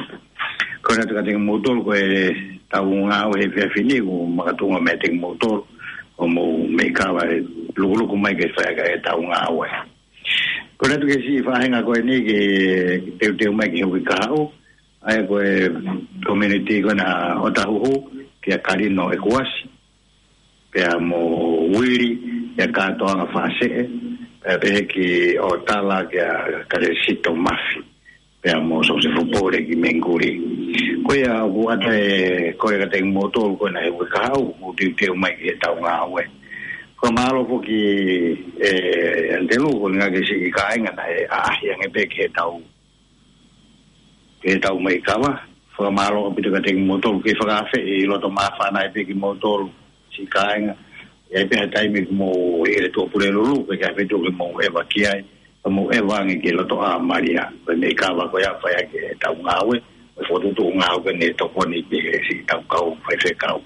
Kole atu kiate kimoutolu ko e tau ngāue he efiafi ni, ʻoku makatuʻunga meiate kimoutolu, hoʻomou meʻi kava ʻe lukuluku mai ke fai ʻaki e tau ngāue. Kole atu ki he siʻi faʻahinga ko eni ke teuteu mai ki he uike kahaʻu, ʻa ia ko e community ko ena ʻo Tahuhu, kia Kalino ʻEkuasi, pea mo Uili, kia Kātoanga Fāseʻe, pea pehē ki ʻOtala, kia Kalesito Mafi, pea mo Sosefo Pole ki Mengikuli. Ko ia ʻoku ʻoatu e kole kiate kimoutolu ko ena he uike kahaʻu, ʻoku teuteu mai ki he tau ngāue. Fakamālō foki, ʻe, Andelu, ko e ngaahi siʻi kāinga naʻe ʻaʻahi ange pē ki he tau, ki he tau meʻi kava. Fakamālō ʻaupito kiate kimoutolu, ke fakaafeʻi loto māfana ai pē kimoutolu, siʻi kāinga. ʻI ai pē ha taimi ʻoku mou ʻi he Tuʻapulelulu, ke ʻikai pē tuku ke mou ʻeva ki ai, ka mou ʻeva ange ki loto ʻa Malia, ko e meʻi kava ko ia fai ʻaki e tau ngāue, ko e fokotuʻutuʻu ngāue ko eni ʻe tokoni ki he siʻi tau kau faifekau.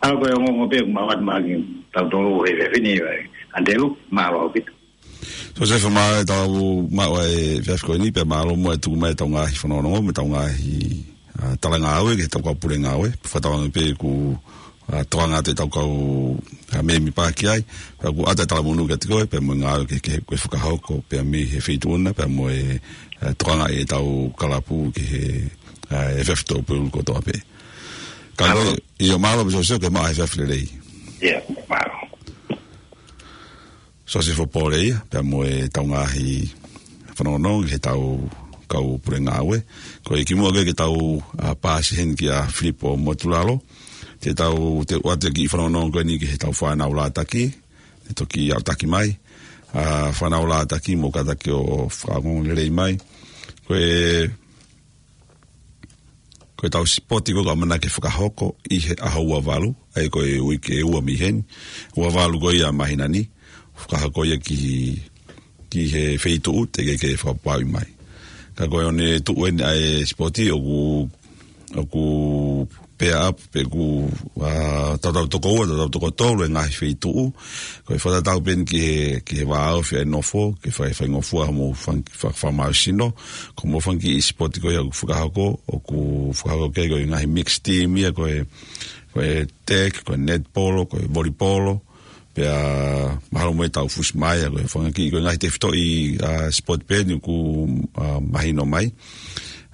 ʻA ia ko e ongoongo pē ʻoku mau ʻoatu maʻa kitautolu he efiafi ni, Andelu, mālō ʻaupito. Sosefo, mālō e tau maʻu e efiafi ko eni, pea mālō muʻa e tuku mai e tau ngaahi fanongonongo, mo e tau ngaahi, ʻa, tala ngāue, ki he tau kau pule ngāue, fakatauange pē ʻoku, ʻa, tokanga atu e tau kau, ʻa, mēmipa ki ai, pea ʻoku ʻoatu e talamonū kiate koe, pea mo e ngāue ke, ke, ke fakahoko, pea mei he feituʻu na, pea mo e, ʻa, tokangaʻi e tau kalapu ki he, ʻa, efiafi Tuʻapulelulu kotoa pē. Ka mālō. Ko ia, ʻio mālō pē Sosefo, ke maʻu e efiafi lelei. ʻIo, mālō. Sosefo Pole ia, pea mo e tau ngaahi fanongonongo ki he tau kau pule ngāue. Ko e kimuʻa ke, ke tau, ʻa, paasi heni kia Filipo Motulalo, te tau, te u ʻoatu e kiʻi fanongonongo ko eni ki he tau fānau Lātaki, te toki aʻutaki mai, ʻa, fānau Lātaki mou kātaki ʻo fakaongoongo lelei mai. Ko e Ko e tau sipoti ko ē ʻoku ʻamanaki fakahoko ʻi he ʻaho ua valu, ʻa ia ko e uike ʻe ua mei heni, ua valu ko ia ʻo e māhina ni, fakahoko ia ki, ki he feituʻu teʻeki ke fakapapauʻi mai. Ka ko e ʻoku ne tuʻu eni ʻa e sipoti ʻoku, ʻoku pair up pe ʻoku, ā, tautau toko ua, tautau toko tolu e ngaahi feituʻu. Ko e fakatatau pē eni ki he, ki he vāofi ʻa e nofo, ke fai, faingofua mo fang-, fa-, fakamālohisino. Ko hoʻomou fanga kiʻi sipoti ko ia ʻoku fakahoko, ʻoku fakahoko ki ai ko e ngaahi mixed team ia, ko e, ko e tag, ko e netipolo, ko e volipolo, pea mahalo mo e tau fusi mai, ko e fanga kiʻi, ko e ngaahi tefitoʻi, ā, sipoti pē eni ʻoku, ā, mahino mai.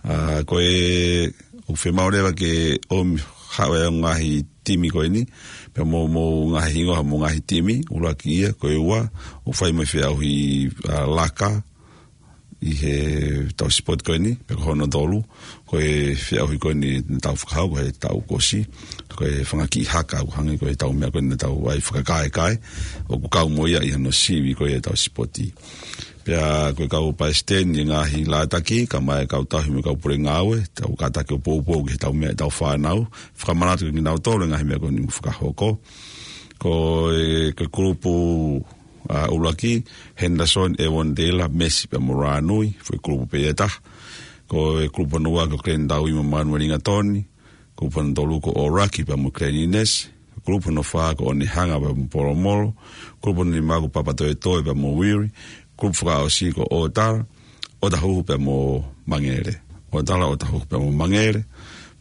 Ā, ko e, ʻoku fiemaʻu leva ke ʻomi haʻu e ngaahi timi ko eni, pea mo, mo ngaahi hingoa mo e ngaahi timi, ʻuluaki ia, ko e ua, ʻoku fai mo e feʻauhi, ā, laka, ʻi he tau sipoti ko eni, pea ko hono tolu, ko e feʻauhi ko eni naʻa tau fakahoko he taʻu kuo ʻosi, ko e fanga kiʻi haka ʻoku hangē ko e tau meʻa ko eni naʻa tau ʻai fakakaekae, ʻoku kau mo ia ʻi hano sivi ko ia e tau sipoti. Pea ko e kau palesiteni e ngaahi lātaki, kae ʻumaʻā e kau tauhi mo e kau pule ngāue, tau kātaki ʻo poupou ki he tau meʻa e tau fānau, fakamanatu kiate kinautolu e ngaahi meʻa ko eni ʻoku fakahoko. Ko e, ko e kulupu ā, ʻuluaki, Henderson, Evondela, Messi pea mo Rānui, foʻi kulupu pē ia ʻe taha. Ko e kulupu hono ua ko Glenn Taui mo Manuel Ingatoni, kulupu hono tolu ko ʻOraki pea mo Glenn Innes, kulupu hono fā ko Onehunga pea mo Polomolo, kulupu hono nima ko Papatoetoe pea mo Uiri, kulupu fakaʻosi ko ʻOtala, ʻOtahuhu pea mo Mangele. ʻOtala, ʻOtahuhu pea mo Mangele,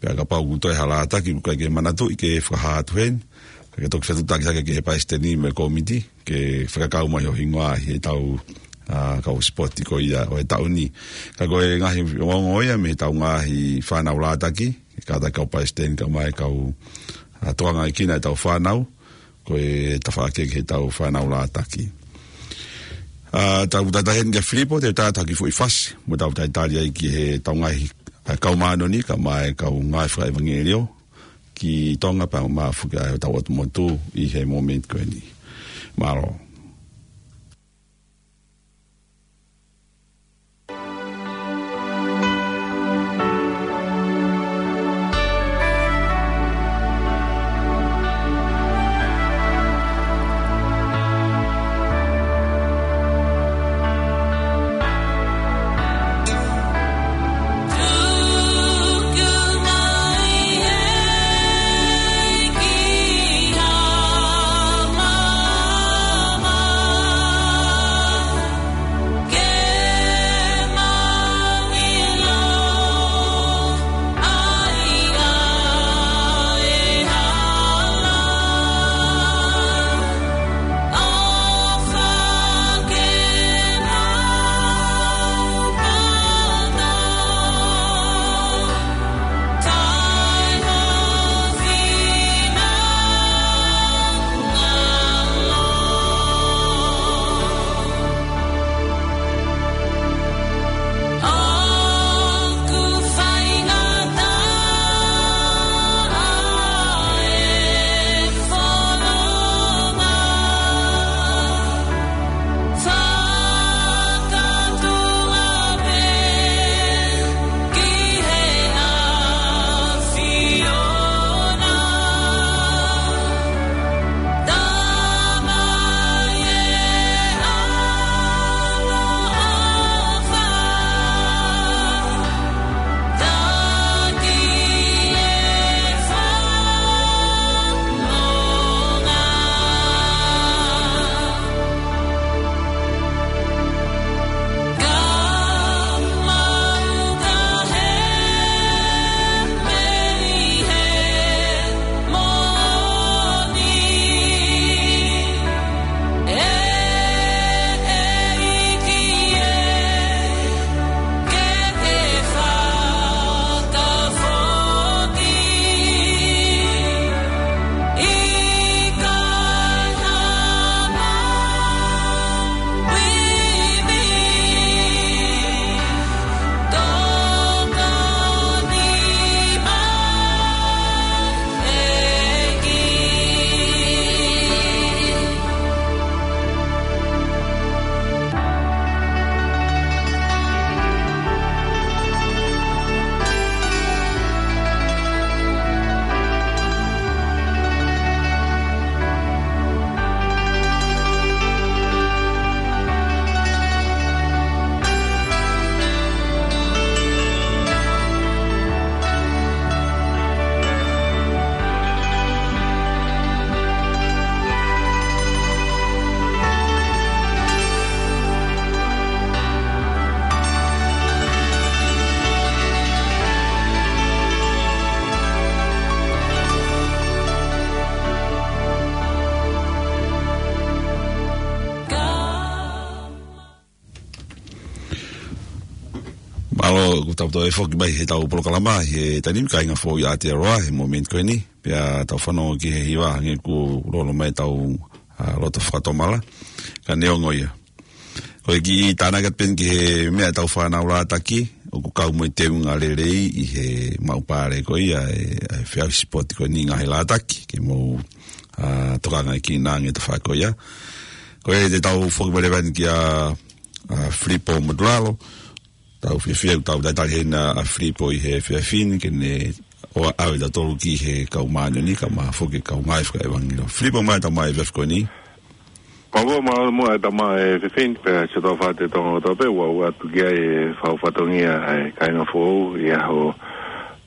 pea kapau ʻoku toe ha lātaki ʻoku ʻikai ke manatuʻi ke fakahā atu heni, ka ke toki fetuʻutaki hake ki he palesiteni mo e kōmiti, ke fakakau mai ho hingoa ʻi he tau, ā, kau sipoti ko ia ʻo e taʻu ni. Ka ko e ngaahi ongoongo ia mei he tau ngaahi fānau lātaki, kātaki kau palesiteni kae ʻumaʻā e kau, ā, tokangaʻi kina e tau fānau, ko e tafaʻaki ki he tau fānau lātaki. Ā, tau tata heni kia Filipo, te u tata ki he foʻi fasi, mo tau talitali ai ki he tau ngaahi, ā, kau māʻoniʻoni, kae ʻumaʻā e kau ngāue fakaʻevangeliō, ki Tonga pea mo e mafu ki ai ʻo tau ʻotu motu ʻi he moment ko eni. Mālō. ʻAlo, ʻoku tau toe foki mai he tau polokalama, he taimi ni, kāinga foʻou ʻi Aotearoa, he momeniti ko eni, pea tau fanongo ki he hiva hangē kuo lolo mai tau, ʻa, loto fakatomala, ka neongo ia. Ko e kiʻi tānaki atu pē eni ki he meʻa tau fānau lātaki, ʻoku kau mo e teunga lelei ʻi he maʻu pale ko ia, ʻe, ʻe feau sipoti ko eni ngaahi lātaki, ke mou, ʻa, tokanga ki he ngaahi tafaʻaki ko ia. Ko e te tau foki mai leva eni kia, ʻa, Filipo Motulalo, tau fiefia, tau talitali hena ʻa Filipo ʻi he efiafi ni, ke ne ʻoua ʻave tautolu ki he kau māʻoniʻoni, ka mahalo foki kau ngāue fakaʻevangeliō. Filipo mai tau mai efiafi ko eni. Mālō, mālō muʻa e tama e fefine, pea siʻi tau fāte Tonga kotoa pē, ʻoku ʻoatu ki ai e fau fatongia ʻa e kāinga foʻou, ʻi he ʻaho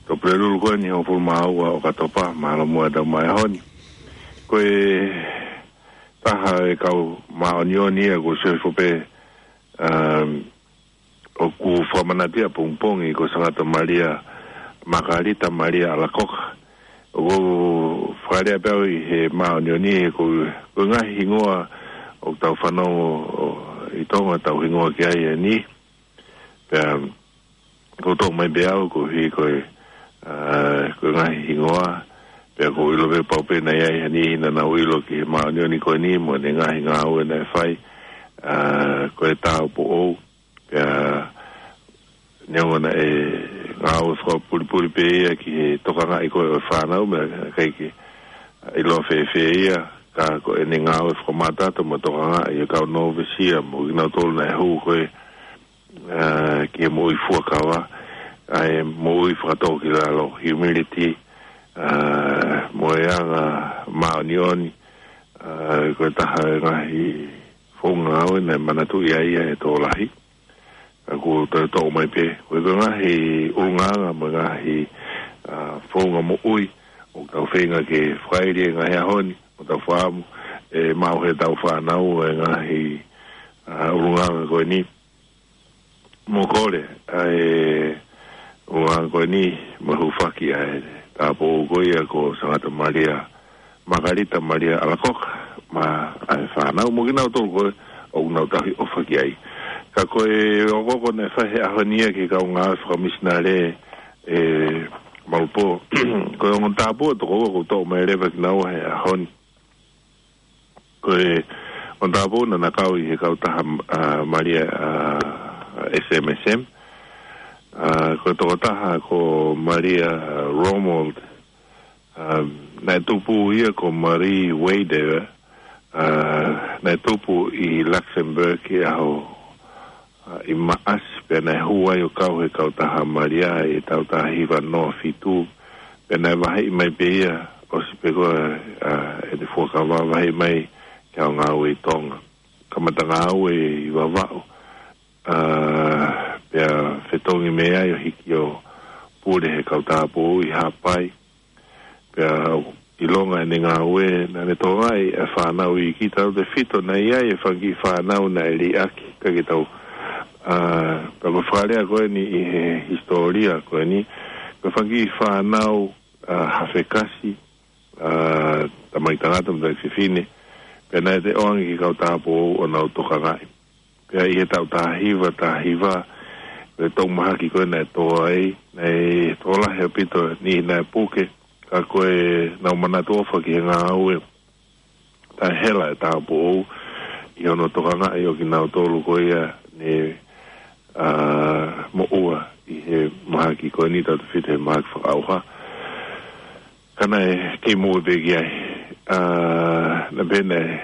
Tuʻapulelulu ko eni hongofulu mā ua ʻOkatopa, mālō muʻa e tama e ʻaho ni. Ko e taha e kau māʻoniʻoni ia kuo sio hifo pē, um, ʻoku fakamanatu ʻapongipongi ko Sangata Malia, Makalita Malia Alakoka. ʻOku fakalea pē au ʻi he māʻoniʻoni he ko, ko e ngaahi hingoa ʻoku tau fanongo ʻi Tonga tau hingoa ki ai ʻeni. Pea ko e toʻo mai pē au ko hi ko e, ʻa, ko e ngaahi hingoa. Pea ʻoku ou ʻilo pē pau pē naʻe ʻi ai ha niʻihi naʻa nau ʻilo ki he māʻoniʻoni ko eni mo ʻene ngaahi ngāue naʻe fai, ʻa, ko e tāupoʻou. Pea neongo naʻe ngāue fakapulipuli pē ia ki he tokangaʻi ko ē ʻo e fānau, meʻa ʻikai ke ʻiloa fēfē ia, ka ko ʻene ngāue fakamātoato mo tokangaʻi e kau nōvisia mo kinautolu naʻe hū ko ē, ʻa, ki he moʻui fuakava, ʻa e moʻui fakatōkilalo, humility, ʻa, mo e anga māʻoniʻoni, ʻa, ko e taha e ngaahi founga ngāue naʻe manatuʻi ai ia ʻe he tokolahi. Ka kuo toe toʻo mai pē, ko e ngaahi ʻulungaanga mo e ngaahi, ʻa, founga moʻui ʻoku tau feinga ke fakaili he ngaahi ʻaho ni, ʻoku tau fakaʻamu ʻe maʻu ʻe he tau fānau e ngaahi, ʻa, ʻulungaanga ko eni. Mo kole, ʻa e ʻulungaanga ko eni, mo e hūfaki ʻa e tāupoʻou ko ia ko Sangata Malia, Makalita Malia Alakoka, mo e fānau mo kinautolu ko ē ʻoku nau tauhi ʻofa ki ai. Ka ko e okooko naʻe fai he ʻaho ni ia ki he kau ngāue fakamisinale ʻe Malupo. Ko e ongo tāupoʻou ʻe toko ua kuo toʻo mai leva kinaua he ʻaho ni. Ko e ongo tāupoʻou naʻa na kau ʻi he kautaha, ʻa, Malia, ʻa, S M S M. ʻA, ko e tokotaha ko Malia, ʻa, Romuald, ʻa, naʻe tupu ia ko Marie Wader, ʻa, naʻe tupu ʻi Luxembourg ʻi he ʻaho, ʻa, ʻi Maʻasi, pea naʻe hū ai ʻo kau he kautaha Malia ʻi he taʻu taha hiva noa fitu, pea naʻe vaheʻi mai pē ia, ʻosi pē ko ē, ʻa, ʻene fuakava, vaheʻi mai ki he ngāue ʻi Tonga. Kamata ngāue ʻi Vavaʻu, ʻa, pea fetongi mei ai ʻo hiki ʻo pule he kau tāupoʻou ʻi Haʻapai. Pea ʻilonga ʻene ngāue, naʻa ne tokangaʻi e fānau iiki tautefito, naʻe ʻi ai e fanga kiʻi fānau naʻe liʻaki, ʻikai ke tau, ʻa, pea ko e fakalea ko eni ʻi he hisitōlia ko eni, ko e fanga kiʻi fānau, ʻa, hafekasi, ʻa, tamaiki tangata mo tamaiki fefine, pea naʻe toe ʻoange ki he kau tāupoʻou ʻo nau tokangaʻi. Pea ʻi he taʻu taha hiva, taha hiva, ko e tau mahaki ko ē naʻe tō ai, naʻe tokolahi ʻaupito e niʻihi naʻe puke, ka ko e nau manatu ʻofa ki he ngāue taʻehela e tāupoʻou ʻi hono tokangaʻi ʻo kinautolu ko ia ne, ʻa, moʻua ʻi he mahaki ko eni tautefito he mahaki fakaʻauha. Ka naʻe kei moʻui pē ki ai, ʻa, naʻe pehē naʻe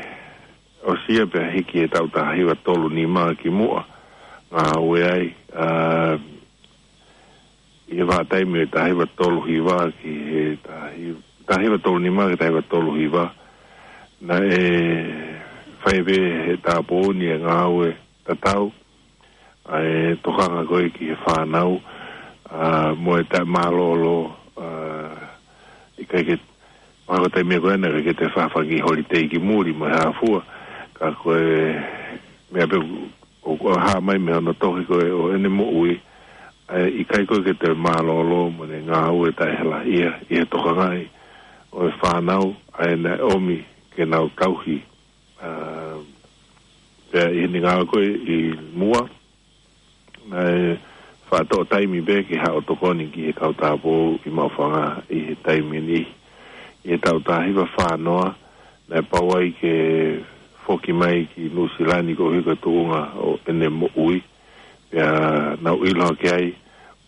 ʻosi ia pea hiki he taʻu taha hiva tolu nima ki muʻa, ngāue ai, ʻa, ʻi he vahaʻa taimi ʻo e taha hiva tolu hiva ki he taha hiva, taha hiva tolu nima ki he taha hiva tolu hiva. Naʻe fai pē he tāupoʻou ni e ngāue tatau, ʻa e tokanga ko ē ki he fānau, ʻa, mo e taʻemālōlō, ʻa, ʻikai ke, mahalo ko e taimi ko ē naʻe ʻikai ke toe fai ha fanga kiʻi holiday ki muli mo e hā fua, ka ko e meʻa pē ʻoku, ʻoku hā mai mei hono tohi ko ē ʻo ʻene moʻui, ʻa e ʻikai ko ē ke toe mālōlō mo ʻene ngāue taʻehela ia, ʻi he tokangaʻi ʻo e fānau, ʻa ia naʻe ʻomi ke nau tauhi. ʻA, pea ʻi heʻene ngāue ko ē ʻi muʻa, naʻe faʻa toʻo taimi pē ke haʻu ʻo tokoni ki he kau tāupoʻou ʻi Maʻufanga ʻi he taimi ni. ʻI he taʻu taha hiva fā noa, naʻe pau ai ke foki mai ki Nuʻusila ni koeʻuhi ko e tuʻunga ʻo ʻene moʻui. Pea nau ʻilo hake ai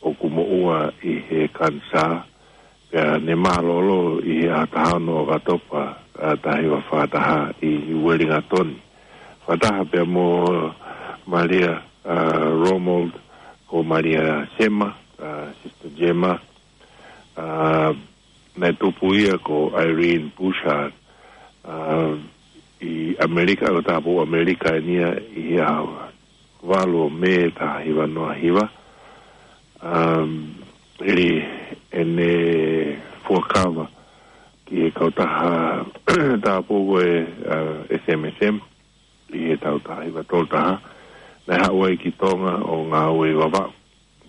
ʻoku moʻua ʻi he kanisā. Pea ne mālōlō ʻi he ʻaho taha ono ʻo ʻOkatopa, ʻa, taha hiva fā taha ʻi Uelingatoni. Fakataha pea mo Malia, ʻa, Romold, ko Malia Sema, ʻa, Sister Gemma, ʻa, naʻe tupu ia ko Irene Bouchard, ʻa, ʻi ʻAmelika, ʻa, tāupoʻou ʻAmelika eni ia ʻi he ʻaho valu ʻo Mē taha hiva noa hiva. Um, ʻi heʻene fuakava ki he kautaha tāupoʻou ko e, ʻa, S M S M ʻi he taʻu taha hiva tolu taha, naʻe haʻu ai ki Tonga ʻo ngāue ʻi Vavaʻu.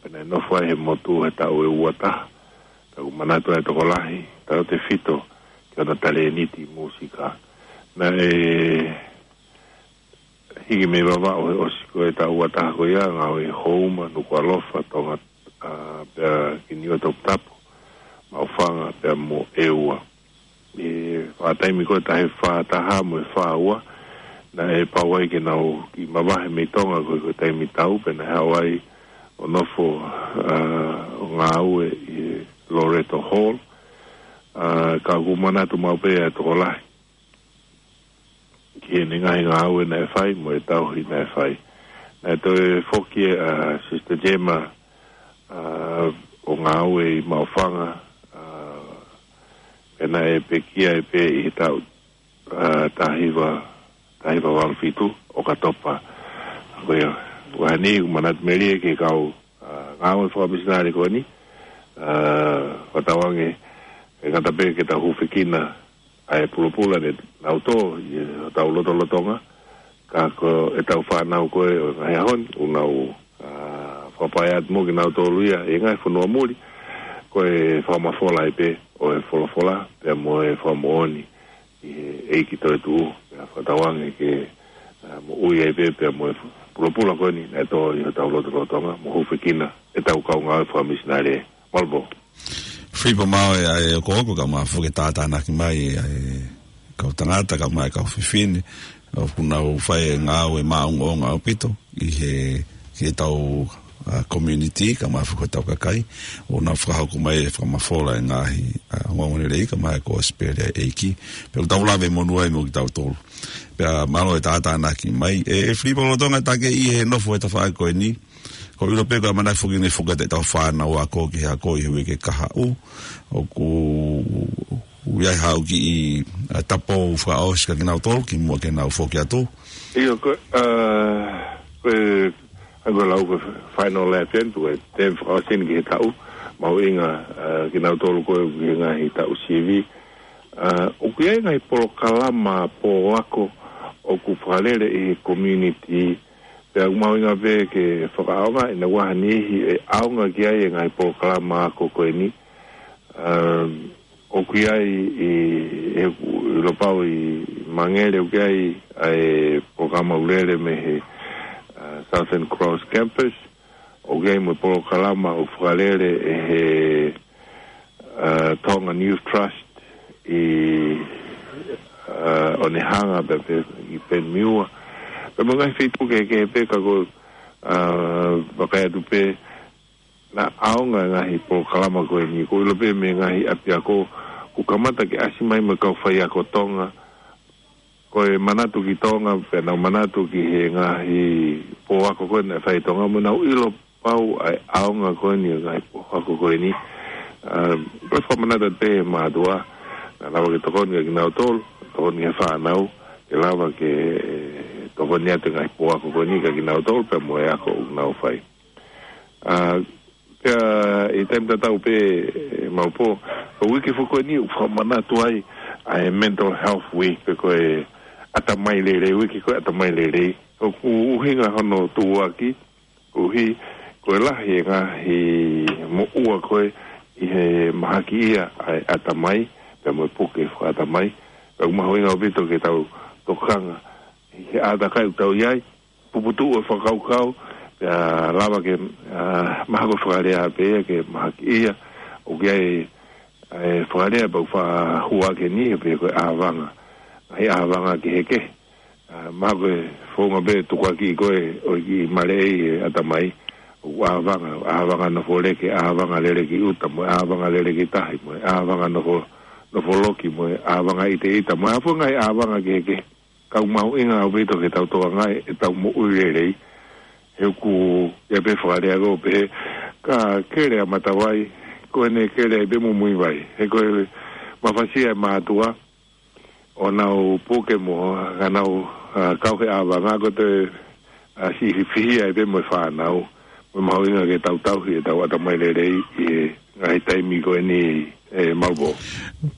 Pea naʻe nofo ai he motu he taʻu ʻe ua taha. Pea ʻoku manatu ai e tokolahi, tautefito ki hono talēniti mūsika. Naʻe hiki mei Vavaʻu he ʻosi ko e taʻu ua taha ko ia, ngāue ʻi Houma, Nukuʻalofa, Tonga, ʻa, pea ki Niuatoputapu, Maʻufanga, pea mo ʻEua. ʻI he taimi ko e taha hiva fā taha mo e fā ua, naʻe pau ai ke nau kiʻi mavahe mei Tonga ko e, ko e taimi tau, pea naʻe haʻu ai ʻo nofo, ʻa, ʻo ngāue ʻi Loreto Hall. ʻA, ka ʻoku manatu maʻu pē ʻa e tokolahi ki heʻene ngaahi ngāue naʻe fai mo e tauhi naʻe fai. Naʻe toe foki ʻa Sister Gemma, ʻa, ʻo ngāue ʻi Maʻufanga, ʻa, pea naʻe pekia ai pē ʻi he taʻu, ʻa, taha hiva, taha hiva valu fitu, ʻOkatopa. Ko ia, ʻoku ʻi ai ʻeku manatu melie ki he kau, ʻa, ngāue fakamisinale ko eni, ʻa, fakatauange, ʻe ngata pē ke tau hūfekina ʻa e pulopula ne nau tō ʻi hotau lotolotonga, ka ko ʻetau fānau ko ē ʻo e ngaahi ʻaho ni, ʻoku nau, ʻa, fakapaiʻi atu mo kinautolu ia ʻi he ngaahi fonua muli, ko e fakamafola ai pē ʻo e folofola, pea mo e fakamoʻoni ʻi he ʻEiki toetuʻu, pea fakatauange ke, ʻa, moʻui ai pē, pea mo e pulopula ko eni naʻe tō ʻi hotau lotolotonga, mo hūfekina ʻetau kau ngāue fakamisinale. Mālō. Filipo, mālō e, ʻa e ʻokoʻoko, kae ʻumaʻā foki e tātānaki mai ʻa e kau tangata, kae ʻumaʻā e kau fefine, ʻoku nau fai e ngāue maʻongoʻonga ʻaupito ʻi he, ki heʻetau, ʻa, community, kae ʻumaʻā foki hotau kakai, ʻo nau fakahoko mai e fakamafola e ngaahi, ʻa, ongoongolelei, kae ʻumaʻā e kosipeli ʻa e ʻEiki. Pea ʻoku tau lave monū ai mo kitautolu. Pea mālō e tātānaki mai. ʻE, ʻe Filipo lolotonga ʻetau kei ʻi he nofo he tafaʻaki ko eni, ʻoku ou ʻilo pē ko e ʻamanaki foki ke ne foki atu ʻetau fānau ako ki he ako ʻi he uike kahaʻu. ʻOku ʻi ai haʻo kiʻi, ʻa, tapou fakaʻosi kia kinautolu kimuʻa ke nau foki atu? ʻIo, ko e, ʻa, ko e, ʻa, ko e lau ko e final lap eni, ko e temi fakaʻosi eni ki he taʻu, mahuʻinga, ʻa, kinautolu ko ē ki he ngaahi taʻu sivi. ʻA, ʻoku ʻi ai e ngaahi polokalama pō ako ʻoku fakalele ʻi he community, pea ʻoku mahuʻinga pē ke fakaʻaongaʻi ʻi he ngaahi niʻihi ʻe ʻaonga ki ai e ngaahi polokalama ako ko eni. Um, ʻoku ʻi ai ʻi, ʻi he, ʻi Lopau ʻi Mangere ʻoku ʻi ai ʻa e polokalama ʻoku lele mei he, ʻa, Southern Cross Campus. ʻOku ʻi ai mo e polokalama ʻoku fakalele ʻe he, ʻa, Tongan Youth Trust ʻi, ʻa, Onehunga pea pē ʻi Penmiua. Pea mo e ngaahi feituʻu kehekehe pē ka ko, ʻa, vakai atu pē naʻa ʻaonga e ngaahi polokalama ko eni, ʻoku ou ʻilo pē mei he ngaahi ʻapiako kuo kamata ke ʻasi mai mo e kau faiako Tonga. Ko e manatu ki Tonga, pea nau manatu ki he ngaahi pō ako ko ē naʻe fai ʻi Tonga, mo nau ʻilo pau ʻa e ʻaonga ko eni e ngaahi pō ako ko eni. Um, ko e fakamanatu atu pē he mātuʻa, naʻa lava ke tokoni kia kinautolu, tokoni ki he fānau, ke lava ke, ʻe, tokoni atu e ngaahi pō ako ko eni kia kinautolu, pea mo e ako ʻoku nau fai. ʻA, pea ʻi he taimi tatau pē, ʻe, Maʻupo, ko e uike foki ko eni ʻoku fakamanatu ai ʻa e Mental Health Week, pe ko e ʻatamai lelei, uike ko e ʻatamai lelei. ʻOku ʻuhinga hono tuʻuaki, koeʻuhi ko e lahi e ngaahi moʻua ko ē ʻi he mahakiʻia ʻa e ʻatamai, pea mo e puke fakaʻatamai. Pea ʻoku mahuʻinga ʻaupito ke tau tokanga ʻi he ʻātakai ʻoku tau ʻi ai, puputuʻu e fakakaukau, Pea lava ke, ʻa, mahalo ko e fakalea pē ia ke mahaki ia, ʻoku ʻi ai, ʻa e fakalea pau fa hua ke ni, pea ko e ʻāvanga. ʻA e ʻāvanga kehekehe. ʻA, mahalo ko e founga pē tukuakiʻi ko ē, ʻo e kiʻi maleʻei e ʻatamai, ʻoku ʻāvanga, ʻāvanga nofo lele ki, ʻāvanga lele ki ʻuta, mo e ʻāvanga lele ki tahi, mo e ʻāvanga nofo, nofo loki, mo e ʻāvanga ʻiteʻita, mo e hā fua e ngaahi ʻāvanga kehekehe. Ka ʻoku mahuʻinga ʻaupito ke tau tokangaʻi ʻetau moʻui lelei. He ʻoku ʻi ai pē fakalea ko ē pehē, ka kele ʻa Matavai, ko ʻene kele ai pē Muimuivai. He ko e mafasia e mātuʻa, ʻo nau puke mo, ka nau, ʻa, kau he ʻāvanga ko ē, ʻa, siʻi fihia ai pē mo e fānau. Mo e mahuʻinga ke tau tauhi ʻetau ʻatamai lelei ʻi he ngaahi taimi ko eni, ʻe Malvo.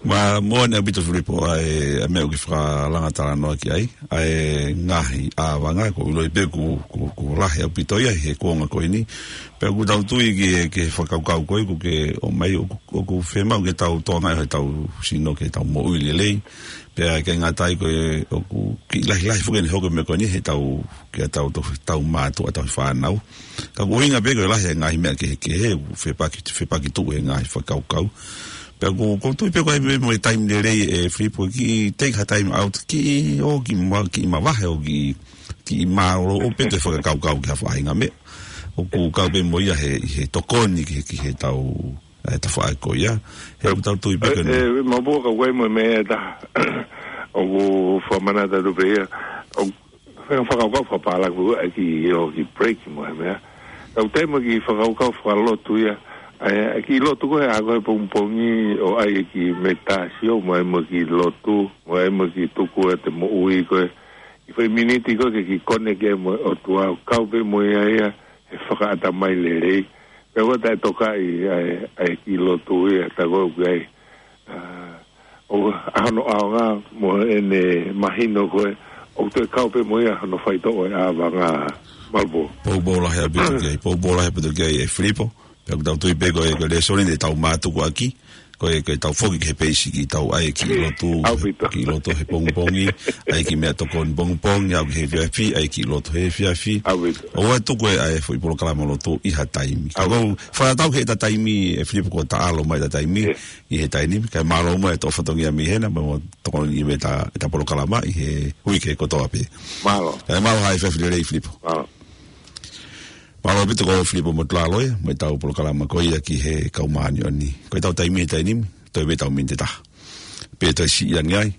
Ma, moʻoni ʻaupito Filipo, ʻa e, ʻa e meʻa ʻoku ke fakalanga talanoa ki ai, ʻa e ngaahi ʻāvanga, ʻoku ou ʻiloʻi pē ʻoku, ʻoku, ʻoku lahi ʻaupito ia he kuonga ko eni. Pea ʻoku tau tui ki he, ki he fakakaukau ko ē ʻoku ke ʻomai, ʻoku, ʻoku fiemaʻu ke tau tokangaʻi ʻetau sino ke tau moʻui lelei. Pea ʻikai ngata ai ko e, ʻoku kiʻi lahilahi foki ʻene hoko e meʻa ko eni heʻetau, ke tau to-, tau mātuʻa, tau fānau. Ka ʻoku ʻuhinga pē ko e lahi e ngaahi meʻa kehekehe, ʻoku fepaki, fepaki tuʻu he ngaahi fakakaukau. Pea ʻoku, ʻoku ou tui pē ko e meʻa mo e taimi lelei ʻe Filipo ke take ha time out, kiʻi ō kiʻi ma-, kiʻi mavahe ʻo kiʻi, kiʻi mālōlō pē ke fakakaukau ki ha faʻahinga meʻa. ʻOku kau pē mo ia he, he tokoni ki he, ki heʻetau, ʻa e tafaʻaki ko ia. He ʻoku tau tui pē ko ē, ʻe, ʻe, Malvo, ka ʻoku ʻi ai mo e meʻa ʻe taha ʻoku fakamanatu atu pē ia. ʻOku faka-, fakakaukau fakapālangi ʻa e kiʻi ō kiʻi break mo e meʻa. Ka ʻoku ʻi ai mo e kiʻi fakakaukau fakalotu ia. ʻA e, ʻa e kiʻi lotu ko ē ʻa ko ē pongipongi ʻo ʻai e kiʻi meditation mo e mo e kiʻi lotu, mo e mo e kiʻi tuku ʻete moʻui ko ē. ʻI he foʻi miniti ko ē ke kiʻi connect ai mo e ʻOtua, kau pē mo ia ia he fakaʻatamai lelei. Pea ʻoua te tau tokaʻi ʻa e, ʻa e kiʻi lotu ia, tā ko ē ʻoku ʻi ai, ʻa, ʻo, ʻa hono ʻaonga mo ʻene mahino ko ē, ʻoku toe kau pē mo ia hono faitoʻo e ʻāvanga, Malvo. Poupou lahi ʻaupito ki ai, poupou lahi ʻaupito ki ai ʻe Filipo. Pea ʻoku tau tui pē ko e, ko e lēsoni te tau mātuku ʻaki, ko e, ko ʻetau foki ki he peisi kiʻi tau ʻai e kiʻi lotu, ʻaupito, kiʻi lotu he pongipongi, ʻai e kiʻi meʻatokoni pongipongi, aʻu ki he efiafi, ʻai e kiʻi lotu he efiafi. ʻAupito. ʻOua ʻe tuku ʻa e foʻi polokalama lotu ʻi ha taimi. Ka ʻoku ou fakatatau ki heʻeta taimi ʻe Filipo kuo taʻalo mai ʻeta taimi, ʻio, ʻi he taimi ni, kae mālō muʻa e toʻo fatongia mei hena, mo tokoni ʻi he meʻa ʻeta, ʻeta polokalama ʻi he uike kotoa pē. Mālō. Kae mālō ha efiafi lelei Filipo. Mālō. Mālō ʻaupito ko Filipo Motulalo ia, mo ʻetau polokalama ko ia ki he Kau Māʻoniʻoni. Ko ʻetau taimi he taimi ni, toe ʻi ai pē ʻetau miniti ʻe taha. Pea toe siʻi ange ai,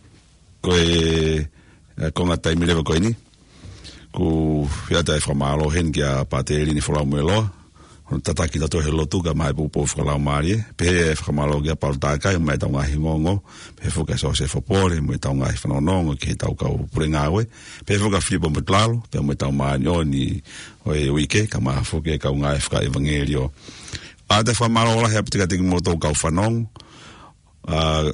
ko e, ʻe, konga taimi leva ko eni, ʻoku ou ʻoatu e fakamālō heni kia Pāteli Nifolau Mueloa, hono tataki kitautolu he lotu kae ʻumaʻā e poupou fakalaumālie, pehē e fakamālō kia Paula Takai, mo ʻetau ngaahi ongoongo, pehē foki kia Sosefo Pole, mo ʻetau ngaahi fanongonongo ki heʻetau kau pule ngāue, pehē foki kia Filipo Motulalo, pea mo ʻetau māʻoniʻoni ʻo e uike, kae ʻumaʻā foki e kau ngāue fakaʻevangeliō. ʻOatu e fakamālō lahi ʻaupito kiate kimoutolu kau fanongo, ʻa,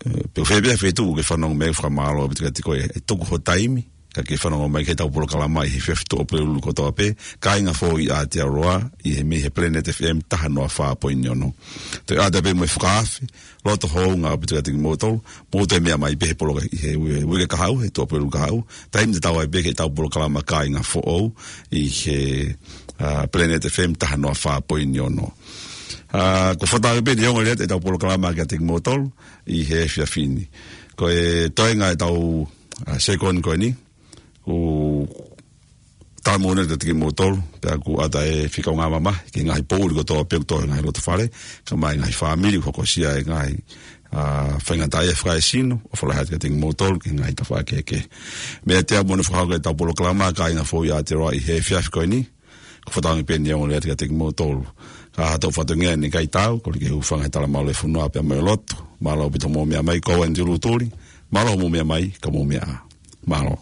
ʻe, pe ʻoku fēfē ha feituʻu ʻoku ke fanongo mai, fakamālō ʻaupito kiate koe ʻi he tuku ho taimi, kae ke fanongo mai ki heʻetau polokalama ʻi he efiafi Tuʻapulelulu kotoa pē, kāinga foʻou ʻi Aotearoa, ʻi he mei he Planet F M taha noa fā poini ono. Toe ʻoatu pē mo e fakaafe loto houngaʻia ʻaupito kiate kimoutolu, mou toe meʻa mai pē he poloka-, ʻi he ui-, uike kahaʻu, he Tuʻapulelulu kahaʻu, taimi tatau ai pē ki heʻetau polokalama kāinga foʻou ʻi he, ʻa, Planet F M taha noa fā poini ono. ʻA, ʻoku ou fakatauange pē ʻe ongo lelei ʻetau polokalama kiate kimoutolu ʻi he efiafi ni. Ko e toenga ʻetau, ʻa, sekoni ko eni, ʻoku ou talamonū atu kiate kimoutolu, pea ʻoku ʻoatu e fika ʻo e ngaahi mamahi ki he ngaahi poʻuli kotoa pē ʻoku tō he ngaahi lotofale, kae ʻumaʻā e ngaahi fāmili ʻoku hokosia e ngaahi, ʻa, faingataʻaʻia fakaesino, ʻofa lahi atu kiate kimoutolu ki he ngaahi tafaʻaki kehekehe. Meiate au mo hono fakahoko ʻetau polokalama kāinga foʻou ʻi Aotearoa ʻi he efiafi ko eni, ʻoku ou fakatauange pē ʻe ongo lelei atu kiate kimoutolu. Ka ʻi ha toe fatongia ʻe ʻikai tau, kole ke hūfanga he talamalu ʻo e fonua pea mo e lotu. Mālō ʻaupito hoʻomou meʻa mai, ko au ʻAnitelū Tuli, mālō hoʻomou meʻa mai, ka mou meʻa ā. Mālō.